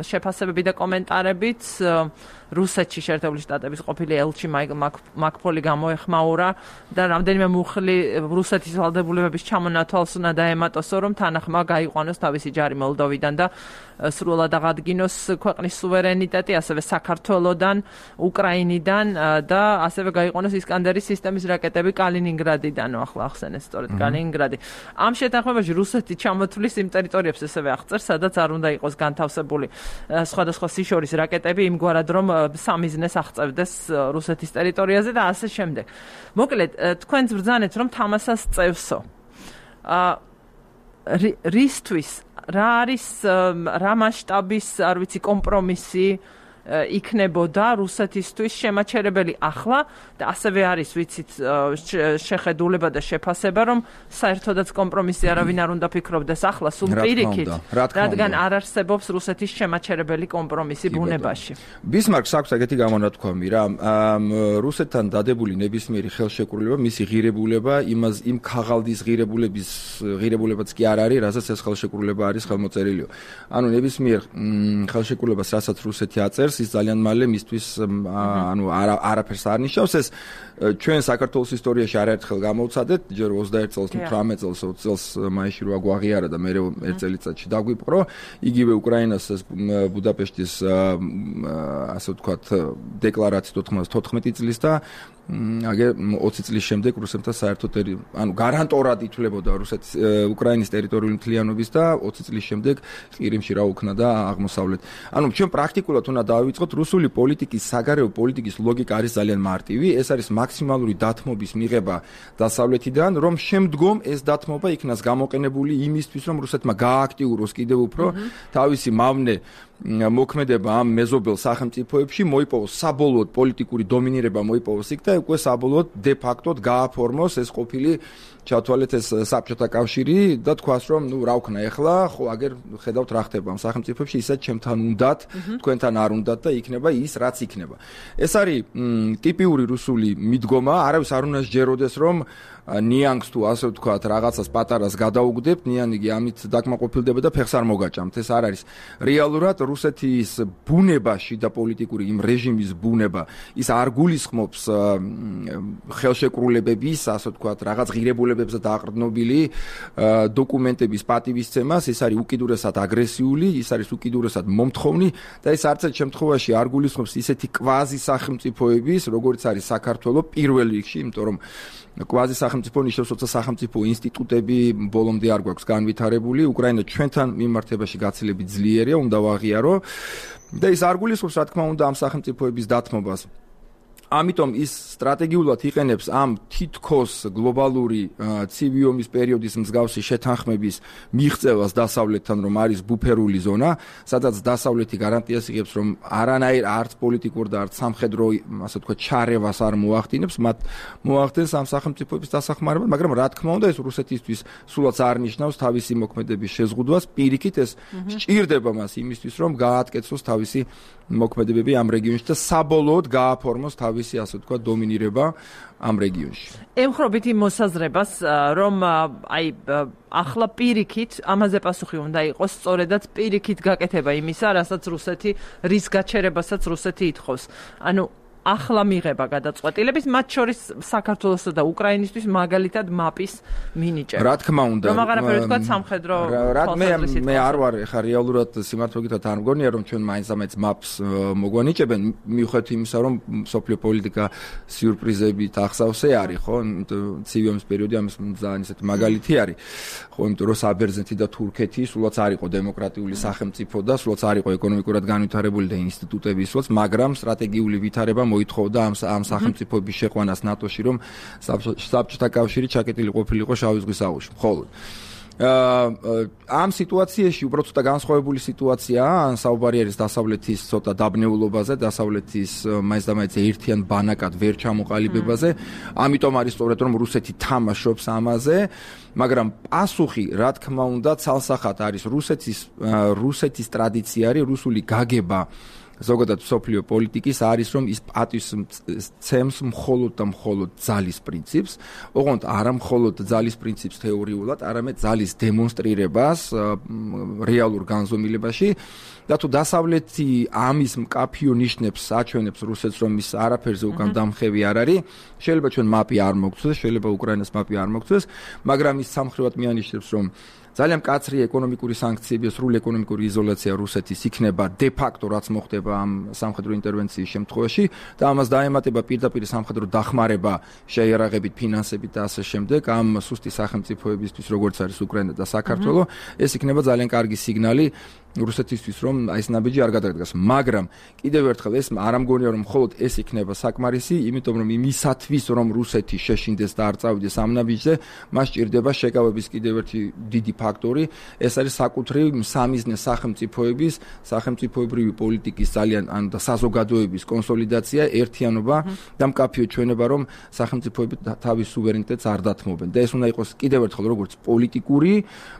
შეფასებები და კომენტარებიც რუსეთში შეერთებული შტატების ყოფილი ელჩი მაკფოლი გამოეხმაურა და რამდენიმე მუხლი რუსეთის ვალდებულებების ჩამონათვალს უნდა დაემატოსო რომ თანახმა გაიყვანოს თავისი ჯარი მოლდოვიდან და სრულად აღადგინოს ქვეყნის სუვერენიტეტი ასევე საქართველოდან უკრაინიდან და ასევე გაიყვანოს ისკანდერის სისტემის რაკეტები კალინინგრადიდან ახლა ახსენეთ სწორედ კალინინგრადი ამ შეთანხმებაში რუსეთი ჩამოთვლის იმ ტერიტორიებს ასევე აღწერს სადაც არ უნდა იყოს განთავსებული სხვადასხვა სიშორის რაკეტები იმგვარად რომ სამიზნეს აღწევდეს რუსეთის ტერიტორიაზე და ასე შემდეგ. მოკლედ, თქვენც ბრძანეთ რომ თამასას წევსო. აა რისთვის რა არის რა მასშტაბის, არ ვიცი, კომპრომისი იქნებოდა რუსეთისთვის შემაჩერებელი ახლა და ასევე არის ვიცით შეხედულება და შეფასება რომ საერთოდაც კომპრომისი არავინ არ უნდა ფიქრობდეს ახლა სულ პირიქით რადგან არ არსებობს რუსეთის შემაჩერებელი კომპრომისი ბუნებაში. ბისმარკს აქვს ეგეთი გამონათქვამი რა რუსეთთან დადებული ნებისმიერი ხელშეკრულება მისი ღირებულება იმას იმ ქაღალდის ღირებულების ღირებულებაც კი არ არის რასაც ეს ხელშეკრულება არის ხელმოწერილი. ანუ ნებისმიერ ხელშეკრულებას რასაც რუსეთი აწერს ის ძალიან მალე მისთვის ანუ არაფერს არ ნიშნავს ეს ჩვენ საქართველოს ისტორიაში არაერთხელ გამოვცადეთ ჯერ ოცდაერთ წელს თვრამეტ წელს ოცი წელს მაისში რო აგვაღიარა და მე ერთ წელიწადში დაგვიპყრო იგივე უკრაინას ბუდაპეშტის ასე ვთქვათ დეკლარაცია ოთხმოცდათოთხმეტი წლის და აგე ოცი წლის შემდეგ რუსეთთან საერთოდ ანუ გარანტორად ითვლებოდა რუსეთის უკრაინის ტერიტორიული მთლიანობის და ოცი წლის შემდეგ ყირიმში რა უქნა და აღმოსავლეთ. ანუ ჩვენ პრაქტიკულად უნდა დავიწყოთ რუსული პოლიტიკის საგარეო პოლიტიკის ლოგიკა არის ძალიან მარტივი, ეს არის მაქსიმალური დათმობის მიღება დასავლეთიდან, რომ შემდგომ ეს დათმობა იქნას გამოყენებული იმისთვის, რომ რუსეთმა გააქტიუროს კიდევ უფრო თავისი მავნე მოქმედება ამ მეზობელ სახელმწიფოებში მოიპოვოს საბოლოოდ პოლიტიკური დომინირება მოიპოვოს იქ და უკვე საბოლოოდ დე ფაქტოდ გააფორმოს ეს ყოფილი ჩათვალეთ ეს საბჭოთა კავშირი და თქვას რომ ნუ რა ვქნა ეხლა ხო აგერ ხედავთ რა ხდება ამ სახელმწიფოებში ისეთ ჩემთან უნდათ თქვენთან არ უნდათ და იქნება ის რაც იქნება. ეს არის ტიპიური რუსული მიდგომა, არავის არ უნდა სჯეროდეს რომ ნიანგს თუ ასე ვთქვათ რაღაცას პატარას გადაუგდებთ, ნიანგი ამით დაკმაყოფილდება და ფეხს არ მოგაჭამთ. ეს არ არის რეალურად რუსეთის ბუნებაში და პოლიტიკური იმ რეჟიმის ბუნება ის არ გულისხმობს ხელშეკრულებების, ასე ვთქვათ, რაღაც ღირებულებებზე დაყრდნობილი დოკუმენტების პატივისცემას, ეს არის უკიდურესად აგრესიული, ის არის უკიდურესად მომთხოვნი და ეს არც ერთ შემთხვევაში არ გულისხმობს ისეთი კვაზი სახელმწიფოების, როგორც არის საქართველო პირველ რიგში, იმიტომ რომ კვაზი სახელმწიფო ნიშნავს, როცა სახელმწიფო ინსტიტუტები ბოლომდე არ გვაქვს განვითარებული, უკრაინა ჩვენთან მიმართებაში გაცილებით ძლიერია, უნდა ვაღიარო და ის არ გულისხმობს, რა თქმა უნდა, ამ სახელმწიფოების დათმობას. ამიტომ ის სტრატეგიულად იყენებს ამ თითქოს გლობალური ცივი ომის პერიოდის მსგავსი შეთანხმების მიღწევას დასავლეთთან, რომ არის ბუფერული ზონა, სადაც დასავლეთი გარანტიას იღებს, რომ არანაირ არც პოლიტიკურ და არც სამხედრო, ასე ვთქვათ, ჩარევას არ მოახდინებს, მათ მოახდენს ამ სახელმწიფოების დასახმარებლად, მაგრამ რა თქმა უნდა, ეს რუსეთისთვის სულაც არ ნიშნავს თავისი მოქმედების შეზღუდვას, პირიქით ეს სჭირდება მას იმისთვის, რომ გაააკეთოს თავისი მოქმედებები ამ რეგიონში და საბოლოოდ გააფორმოს თავისი თავისი ასე ვთქვათ დომინირება ამ რეგიონში. ემხრობით იმ მოსაზრებას, რომ აი ახლა პირიქით ამაზე პასუხი უნდა იყოს სწორედაც პირიქით გაკეთება იმისა, რასაც რუსეთი რის გაჩერებასაც რუსეთი ითხოვს. ანუ ახლა მიღება გადაწყვეტილების, მათ შორის საქართველოსა და უკრაინისთვის მაგალითად მაპის მინიჭება. რა თქმა უნდა, რომ აღარაფერი თქვა სამხედრო თვალსაზრისით. მე არ ვარ ხა რეალურად სიმართლეებით არ მგონია რომ ჩვენ მაინც-ამაინც მაპს მოგვანიჭებენ, მიუხედავად იმისა, რომ სოფლიო პოლიტიკა სიურპრიზებით ახსავსე არის, ხო? ცივი ომის პერიოდი ამის ძალიან ისეთი მაგალითი არის. ხო, იმიტომ რომ საბერძნეთი და თურქეთი სულაც არ იყო დემოკრატიული სახელმწიფო და სულაც არ იყო ეკონომიკურად განვითარებული და ინსტიტუტები სულაც, მაგრამ სტრატეგიული ვითარება მოითხოვდა ამ ამ სახელმწიფოების შეყვანას ნატოში, რომ საბჭოთა კავშირი ჩაკეტილი ყოფილიყო შავი ზღვის აუზში. მხოლოდ ამ სიტუაციაში უბრალოდ ცოტა განსხვავებული სიტუაციაა, ან საუბარი არის დასავლეთის ცოტა დაბნეულობაზე, დასავლეთის მაინც და მაინც ერთიან ბანაკად ვერ ჩამოყალიბებაზე, ამიტომ არის სწორედ რომ რუსეთი თამაშობს ამაზე, მაგრამ პასუხი, რა თქმა უნდა, ცალსახად არის რუსეთის რუსეთის ტრადიცია არის, რუსული გაგება ზოგადად სოფლიო პოლიტიკის არის რომ ის პატივს მხოლოდ და მხოლოდ ძალის პრინციპს, ოღონდ არა მხოლოდ ძალის პრინციპს თეორიულად, არამედ ძალის დემონსტრირებას რეალურ განზომილებაში და თუ დასავლეთი ამის მკაფიო ნიშნებს აჩვენებს რუსეთს რომ ის არაფერზე უკან დამხევი არ არის, შეიძლება ჩვენ მაპი არ მოგცეს, შეიძლება უკრაინას მაპი არ მოგცეს, მაგრამ ის სამხრივად მიანიშნებს რომ ძალიან მკაცრი ეკონომიკური სანქციები, სრული ეკონომიკური იზოლაცია რუსეთის იქნება de facto რაც მოხდება ამ სამხედრო ინტერვენციის შემთხვევაში და ამას დაემატება პირდაპირ სამხედრო დახმარება შეიარაღებით, ფინანსებით და ასე შემდეგ ამ სუსტი სახელმწიფოებისთვის, როგორც არის უკრაინა და საქართველო, ეს იქნება ძალიან კარგი სიგნალი რუსეთისთვის რომ აი ეს ნაბიჯი არ გადადგას, მაგრამ კიდევ ერთხელ ეს არ ამგონია რომ მხოლოდ ეს იქნება საკმარისი, იმიტომ რომ იმისათვის რომ რუსეთი შეშინდეს და არ წავიდეს ამ ნაბიჯზე, მას ჭირდება შეკავების კიდევ ერთი დიდი ფაქტორი, ეს არის საკუთრივ სამიზნე სახელმწიფოების, სახელმწიფოებრივი პოლიტიკის ძალიან ან და საზოგადოების კონსოლიდაცია, ერთიანობა და მკაფიო ჩვენება რომ სახელმწიფოები თავის სუვერენიტეტს არ დათმობენ და ეს უნდა იყოს კიდევ ერთხელ როგორც პოლიტიკური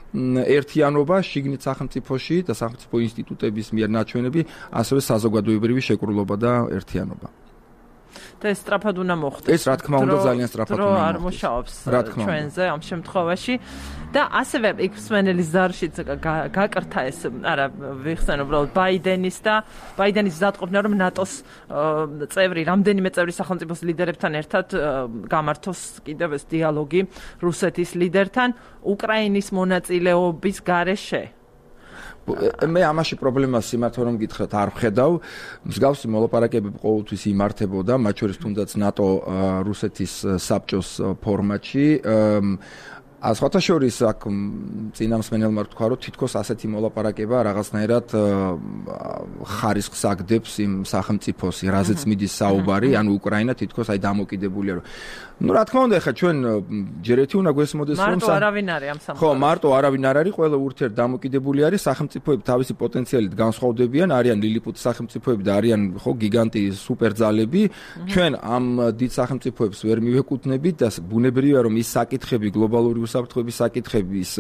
ერთიანობა შიგნით სახელმწიფოში და სახელმწიფო ინსტიტუტების მიერ ნაჩვენები, ასევე საზოგადოებრივი შეკრულობა და ერთიანობა. და ეს სწრაფად უნდა მოხდეს. ეს რა თქმა უნდა ძალიან სწრაფად უნდა მოხდეს. არ მუშაობს ჩვენზე ამ შემთხვევაში და ასევე იქ სვენელის ზარშიც გაკრთა ეს, არა, ვიხსენ უბრალოდ ბაიდენის და ბაიდენის მზადყოფნა რომ ნატოს წევრი, რამდენიმე წევრი სახელმწიფოს ლიდერებთან ერთად გამართოს კიდევ ეს დიალოგი რუსეთის ლიდერთან უკრაინის მონაწილეობის გარეშე. მე ამაში პრობლემას სიმართლე რომ გითხრათ არ ვხედავ. მსგავსი მოლაპარაკებები ყოველთვის იმართებოდა, მათ შორის თუნდაც ნატო რუსეთის საბჭოს ფორმატში. სხვათა შორის აქ წინამსმენელმა თქვა რომ თითქოს ასეთი მოლაპარაკება რაღაცნაირად ხარისხს აგდებს იმ სახელმწიფოს, რაზეც მიდის საუბარი, ანუ უკრაინა თითქოს აი დამოკიდებულია რომ ну რა თქმა უნდა ხა ჩვენ ჯერ ერთი უნდა გვესმოდეს რომ მარტო არავინ არის ამ სამყაროში. ხო, მარტო არავინ არ არის, ყველა ურთიერთ დამოკიდებული არის, სახელმწიფოები თავისი პოტენციალით განსხვავდებიან, არიან ლილიპუტის სახელმწიფოები და არიან ხო გიგანტი სუპერძალები. ჩვენ ამ დიდ სახელმწიფოებს ვერ მივეკუთვნებით და ბუნებრივია რომ ის საკითხები გლობალური უსაფრთხოების საკითხების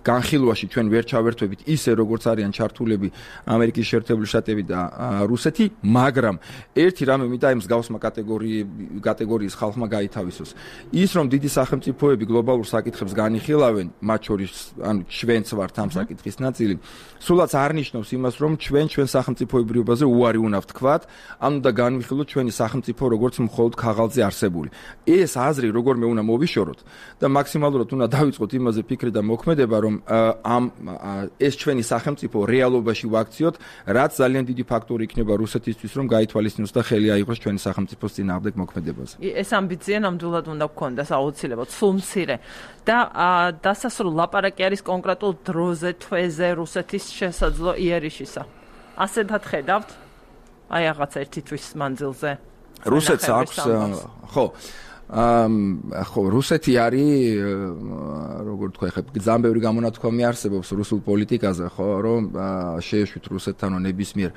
განხილვაში ჩვენ ვერ ჩავერთვებით ისე როგორც არიან ჩართულები ამერიკის შეერთებული შტატები და რუსეთი, მაგრამ ერთი რამე მინდა იმ მსგავსმა კატეგორიის ხალხმა გაითავისოს. ის რომ დიდი სახელმწიფოები გლობალურ საკითხებს განიხილავენ, მათ შორის ანუ ჩვენც ვართ ამ საკითხის ნაწილი, სულაც არ ნიშნავს იმას, რომ ჩვენ ჩვენ სახელმწიფოებრიობაზე უარი უნდა ვთქვათ, ანუ და განვიხილოთ ჩვენი სახელმწიფო როგორც მხოლოდ ქაღალდზე არსებული. ეს აზრი როგორმე უნდა მოვიშოროთ და მაქსიმალურად უნდა დავიწყოთ იმაზე ფიქრი და მოქმედება, რომ ამ ეს ჩვენი სახელმწიფო რეალობაში ვაქციოთ, რაც ძალიან დიდი ფაქტორი იქნება რუსეთისთვის, რომ გაითვალისწინოს და ხელი აიღოს ჩვენი სახელმწიფოს წინააღმდეგ მოქმედებაზე. ეს ამბიცია ნამდვილად უნდა გქონდეს აუცილებლად, სულ მცირე. და დასასრულ ლაპარაკი არის კონკრეტულ დროზე, თვეზე რუსეთის შესაძლო იერიშისა. ასეთად ხედავთ? აი რაღაც ერთი თვის მანძილზე. რუსეთს აქვს ხო ხო, რუსეთი არის, როგორ თქვა, ხა ძალიან ბევრი გამონათქვამი არსებობს რუსულ პოლიტიკაზე, ხო, რომ შეეშვით რუსეთთან ნებისმიერ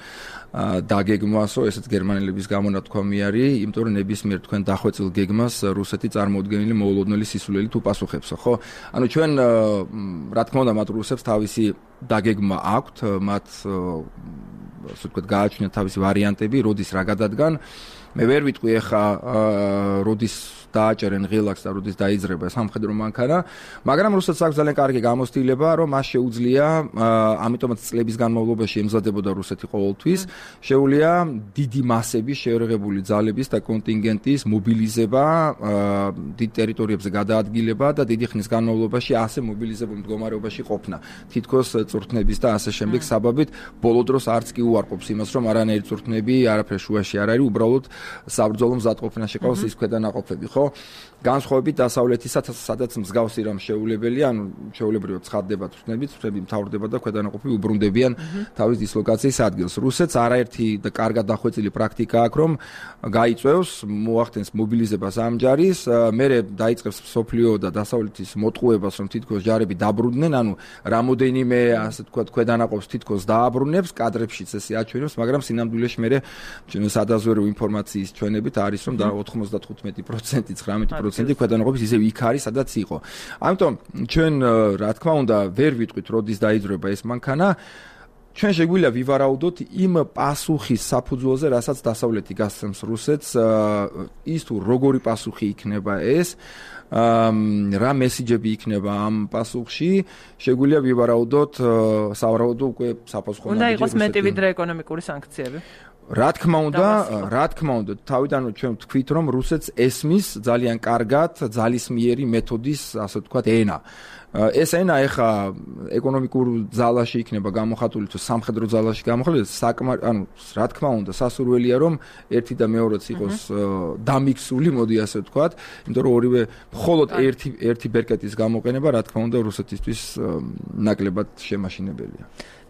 დაგეგმვასო, ესეც გერმანელების გამონათქვამი არის, იმიტომ რომ ნებისმიერ თქვენ დახვეწილ გეგმას რუსეთი წარმოუდგენელი მოულოდნელი სისულელით უპასუხებსო, ხო? ანუ ჩვენ რა თქმა უნდა მათ რუსებს თავისი დაგეგმა აქვთ, მათ ასე ვთქვათ, გააჩნია თავისი ვარიანტები, როდის რა გადადგან. მე ვერ ვიტყვი ახლა როდის დააჭერენ ღილაკს და როდის დაიძრება სამხედრო მანქანა, მაგრამ რუსეთს აქვს ძალიან კარგი გამოცდილება, რომ მას შეუძლია, ამიტომაც წლების განმავლობაში ემზადებოდა რუსეთი ყოველთვის, შეუძლია დიდი მასების შეერაღებული ძალების და კონტინგენტის მობილიზება, დიდ ტერიტორიებზე გადაადგილება და დიდი ხნის განმავლობაში ასე მობილიზებულ მდგომარეობაში ყოფნა. თითქოს წვრთნების და ასე შემდეგ საბაბით ბოლო დროს არც კი უარყოფს იმას, რომ არანაირი წვრთნები არაფერ შუაში არ არის, უბრალოდ საბრძოლო მზადყოფნაში ყავს ის ქვედანაყოფები, ხო? განსხვავებით დასავლეთისა, სადაც მსგავსი რამ შეუულებელია, ანუ შეუულებრივად ცხადდება წვრთნები, წვრთნები მთავრდება და ქვედანაყოფები უბრუნდებიან თავის დისლოკაციის ადგილს. რუსეთს არაერთი და კარგად დახვეწილი პრაქტიკა აქვს, რომ გაიწევს, მოახდენს მობილიზებას ამ ჯარის, მერე დაიწყებს სოფლიო და დასავლეთის მოტყუებას, რომ თითქოს ჯარები დაბრუნდნენ, ანუ რამოდენიმე, ასე ვთქვათ, ქვედანაყოფს თითქოს დააბრუნებს, კადრებშიც ესე აჩვენებს, მაგრამ სინამდვილეში მერე სადაზვერვო ინფორმაციის ჩვენებით არის, რომ ოცდახუთმეტი პროცენტი ცხრამეტი პროცენტი ქვედანაყოფის ისევ იქ არის, სადაც იყო. ამიტომ ჩვენ რა თქმა უნდა ვერ ვიტყვით როდის დაიძრება ეს მანქანა. ჩვენ შეგვიძლია ვივარაუდოთ იმ პასუხის საფუძველზე, რასაც დასავლეთი გასცემს რუსეთს, ის თუ როგორი პასუხი იქნება ეს, რა მესიჯები იქნება ამ პასუხში, შეგვიძლია ვივარაუდოთ, სავარაუდო უკვე საფასურო უნდა იყოს მეტი ვიდრე ეკონომიკური სანქციები. რა თქმა უნდა, რა თქმა უნდა, თავიდან ჩვენ ვთქვით, რომ რუსეთს ესმის ძალიან კარგად ძალისმიერი მეთოდის, ასე ვთქვათ, ენა. ეს ენა ეხა ეკონომიკურ ძალაში იქნება გამოხატული თუ სამხედრო ძალაში გამოხატული, საკმაოდ, ანუ რა თქმა უნდა, სასურველია, რომ ერთი და მეორეც იყოს დამიქსული, მოდი ასე ვთქვათ, იმიტომ რომ ორივე მხოლოდ ერთი ერთი ბერკეტის გამოყენება, რა თქმა უნდა, რუსეთისთვის ნაკლებად შემაშინებელია.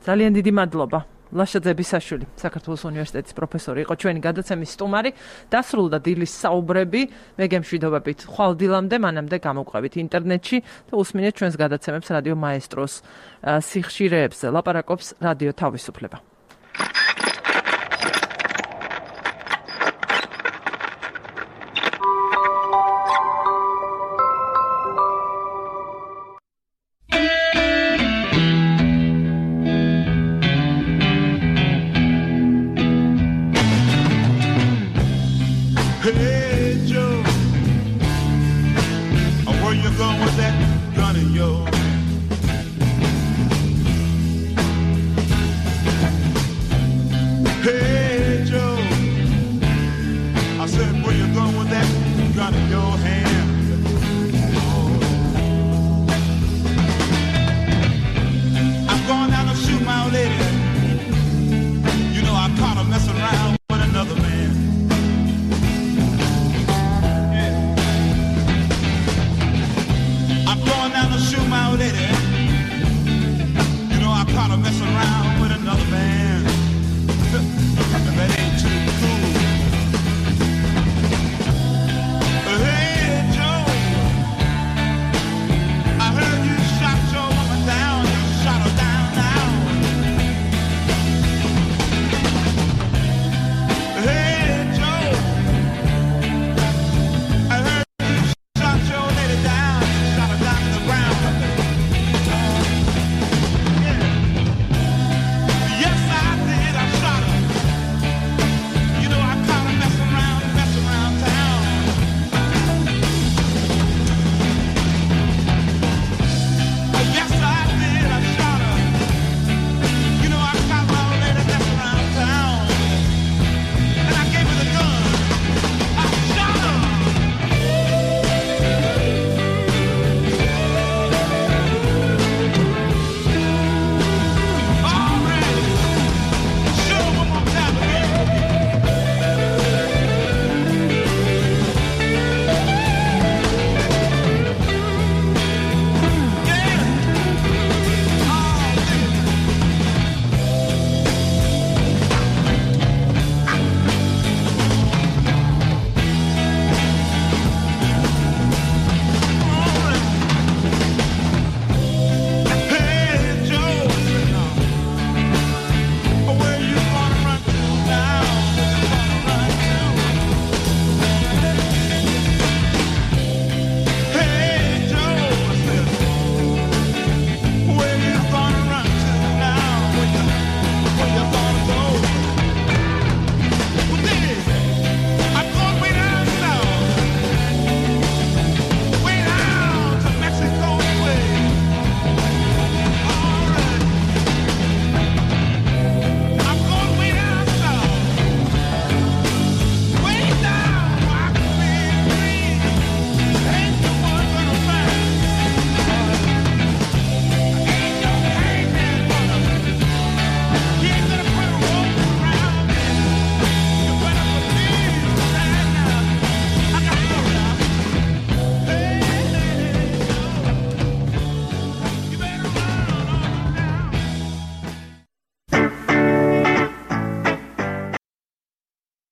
ძალიან დიდი მადლობა. ლაშა ძებისაშვილი, საქართველოს უნივერსიტეტის პროფესორი იყო ჩვენი გადაცემის სტუმარი. დასრულდა დილის საუბრები, მე გემშვიდობებით ხვალ დილამდე, მანამდე გამოვყევით ინტერნეტში და უსმინეთ ჩვენს გადაცემებს რადიო მაესტროს სიხშირეებზე. ლაპარაკობს რადიო თავისუფლება.